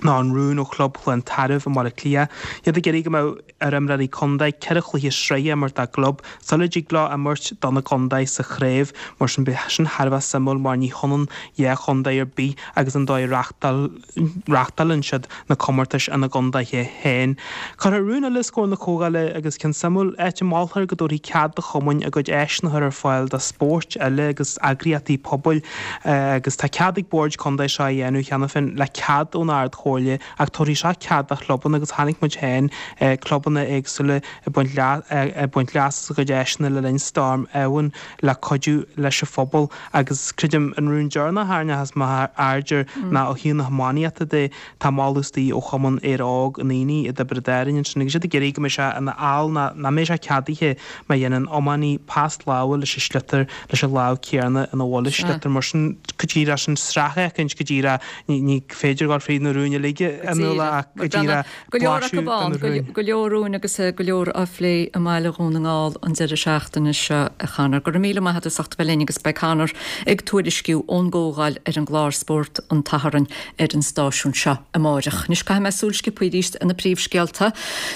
ná an rún ó Chlub Chluain Tarbh i mBaile Átha Cliath. Iad ag iarraidh go mbeadh ar imreoirí contae 4 chluiche sraithe a imirt dá gclub sula dtig leo imirt do na gcontae sa chraobh. Mar sin beidh sin thar a bheith suimiúil mar ní hionann dhá chontae ar bith agus an dóigh a reáchtálann siad na comórtais ina gcontaetha féin. Cuirfear rún eile os comhair na comhdhála agus ceann suimiúil, áit a moltar go dtabharfaí cead do chumainn a gcuid áiseanna a chur ar fáil do spóirt eile agus eagraíochtaí pobail agus tá cead ag boird contae seo a dhéanamh cheana féin le cead ón Ard Chomhairle ach tabharfaidh seo cead do chlubanna agus chonaic muid féin clubanna éagsúla ag baint ag baint leas as a gcuid áiseanna le linn Storm Éowyn le cuidiú leis an phobal agus creidim an rún deireanach a tharraingeochas m'aird air ná ó thaobh na hiománaíochta de tá moladh istigh ó Chumann Éire Óg na nDaoine i dTiobraid Árainn ansin agus iad ag iarraidh go mbeidh sé ina fheall ná nach mbeidh sé ceadaithe má dhéanann iománaí pas láimhe leis an sliotar leis an lámh céanna ina bhfuil an sliotar mar sin go díreach sin sraith éicint go díreach ní féidir dul fríd na rúin. rúin uilig a Nuala ach go díreach Go leor acu ann, go leor rúin agus go leor á phlé i mbaile Dhún na nGall an deireadh seachtaine seo, a Chonor. Go raibh míle maith agat as ucht a bheith linn agus beidh Conor ag tuairisciú ón gcomhdháil ar an gclár Spórt an tSathairn ar an stáisiún seo amáireach. Anois caithfidh mé súil sciobtha arís ar na príomhscéalta.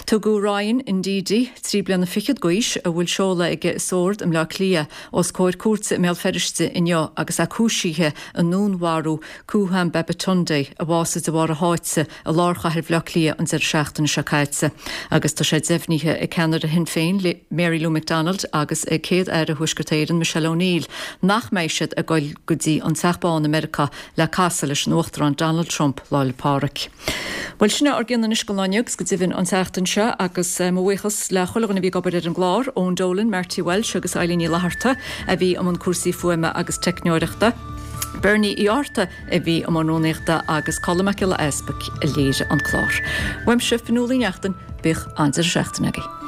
Tugadh Ryan Ndidi, 23 bliana d'aois, a bhfuil seoladh aige i Sord i mBleá Cliath, os comhair cúirte i mBéal Feirste inniu agus é cúisithe i ndúnmharú Kuham Babatunde, a bhásaigh de bharr a sháite i lár chathair Bhaile Átha Cliath an deireadh seachtaine seo caite. Agus tá sé deimhnithe ag ceannaire Shinn Féin, Mary Lou McDonald agus ag Céad-Aire Thuaisceart Éireann, Michelle O'Neill, nach mbeidh siad ag goil go dtí an Teach Bán i Meiriceá le casadh leis an Uachtarán Donald Trump Lá 'le Pádraig. Bhuel, sin é ár gcion anois don lá inniu agus go deimhin an tseachtain seo agus mo bhuíochas le chuile dhuine a bhí ag obair ar an gclár, Eoin Dolan, Marty Walsh agus Eileen Ní Fhlatharta a bhí i mbun cúrsaí fuaime agus teicneoireachta, Bernie Uí Fhátharta a bhí i mbun rúnaíochta agus Colm Mac Giolla Easpaig a léirigh an clár. Uaimse, Fionnuala Uí Neachtain, bíodh an-deireadh seachtaine agaibh.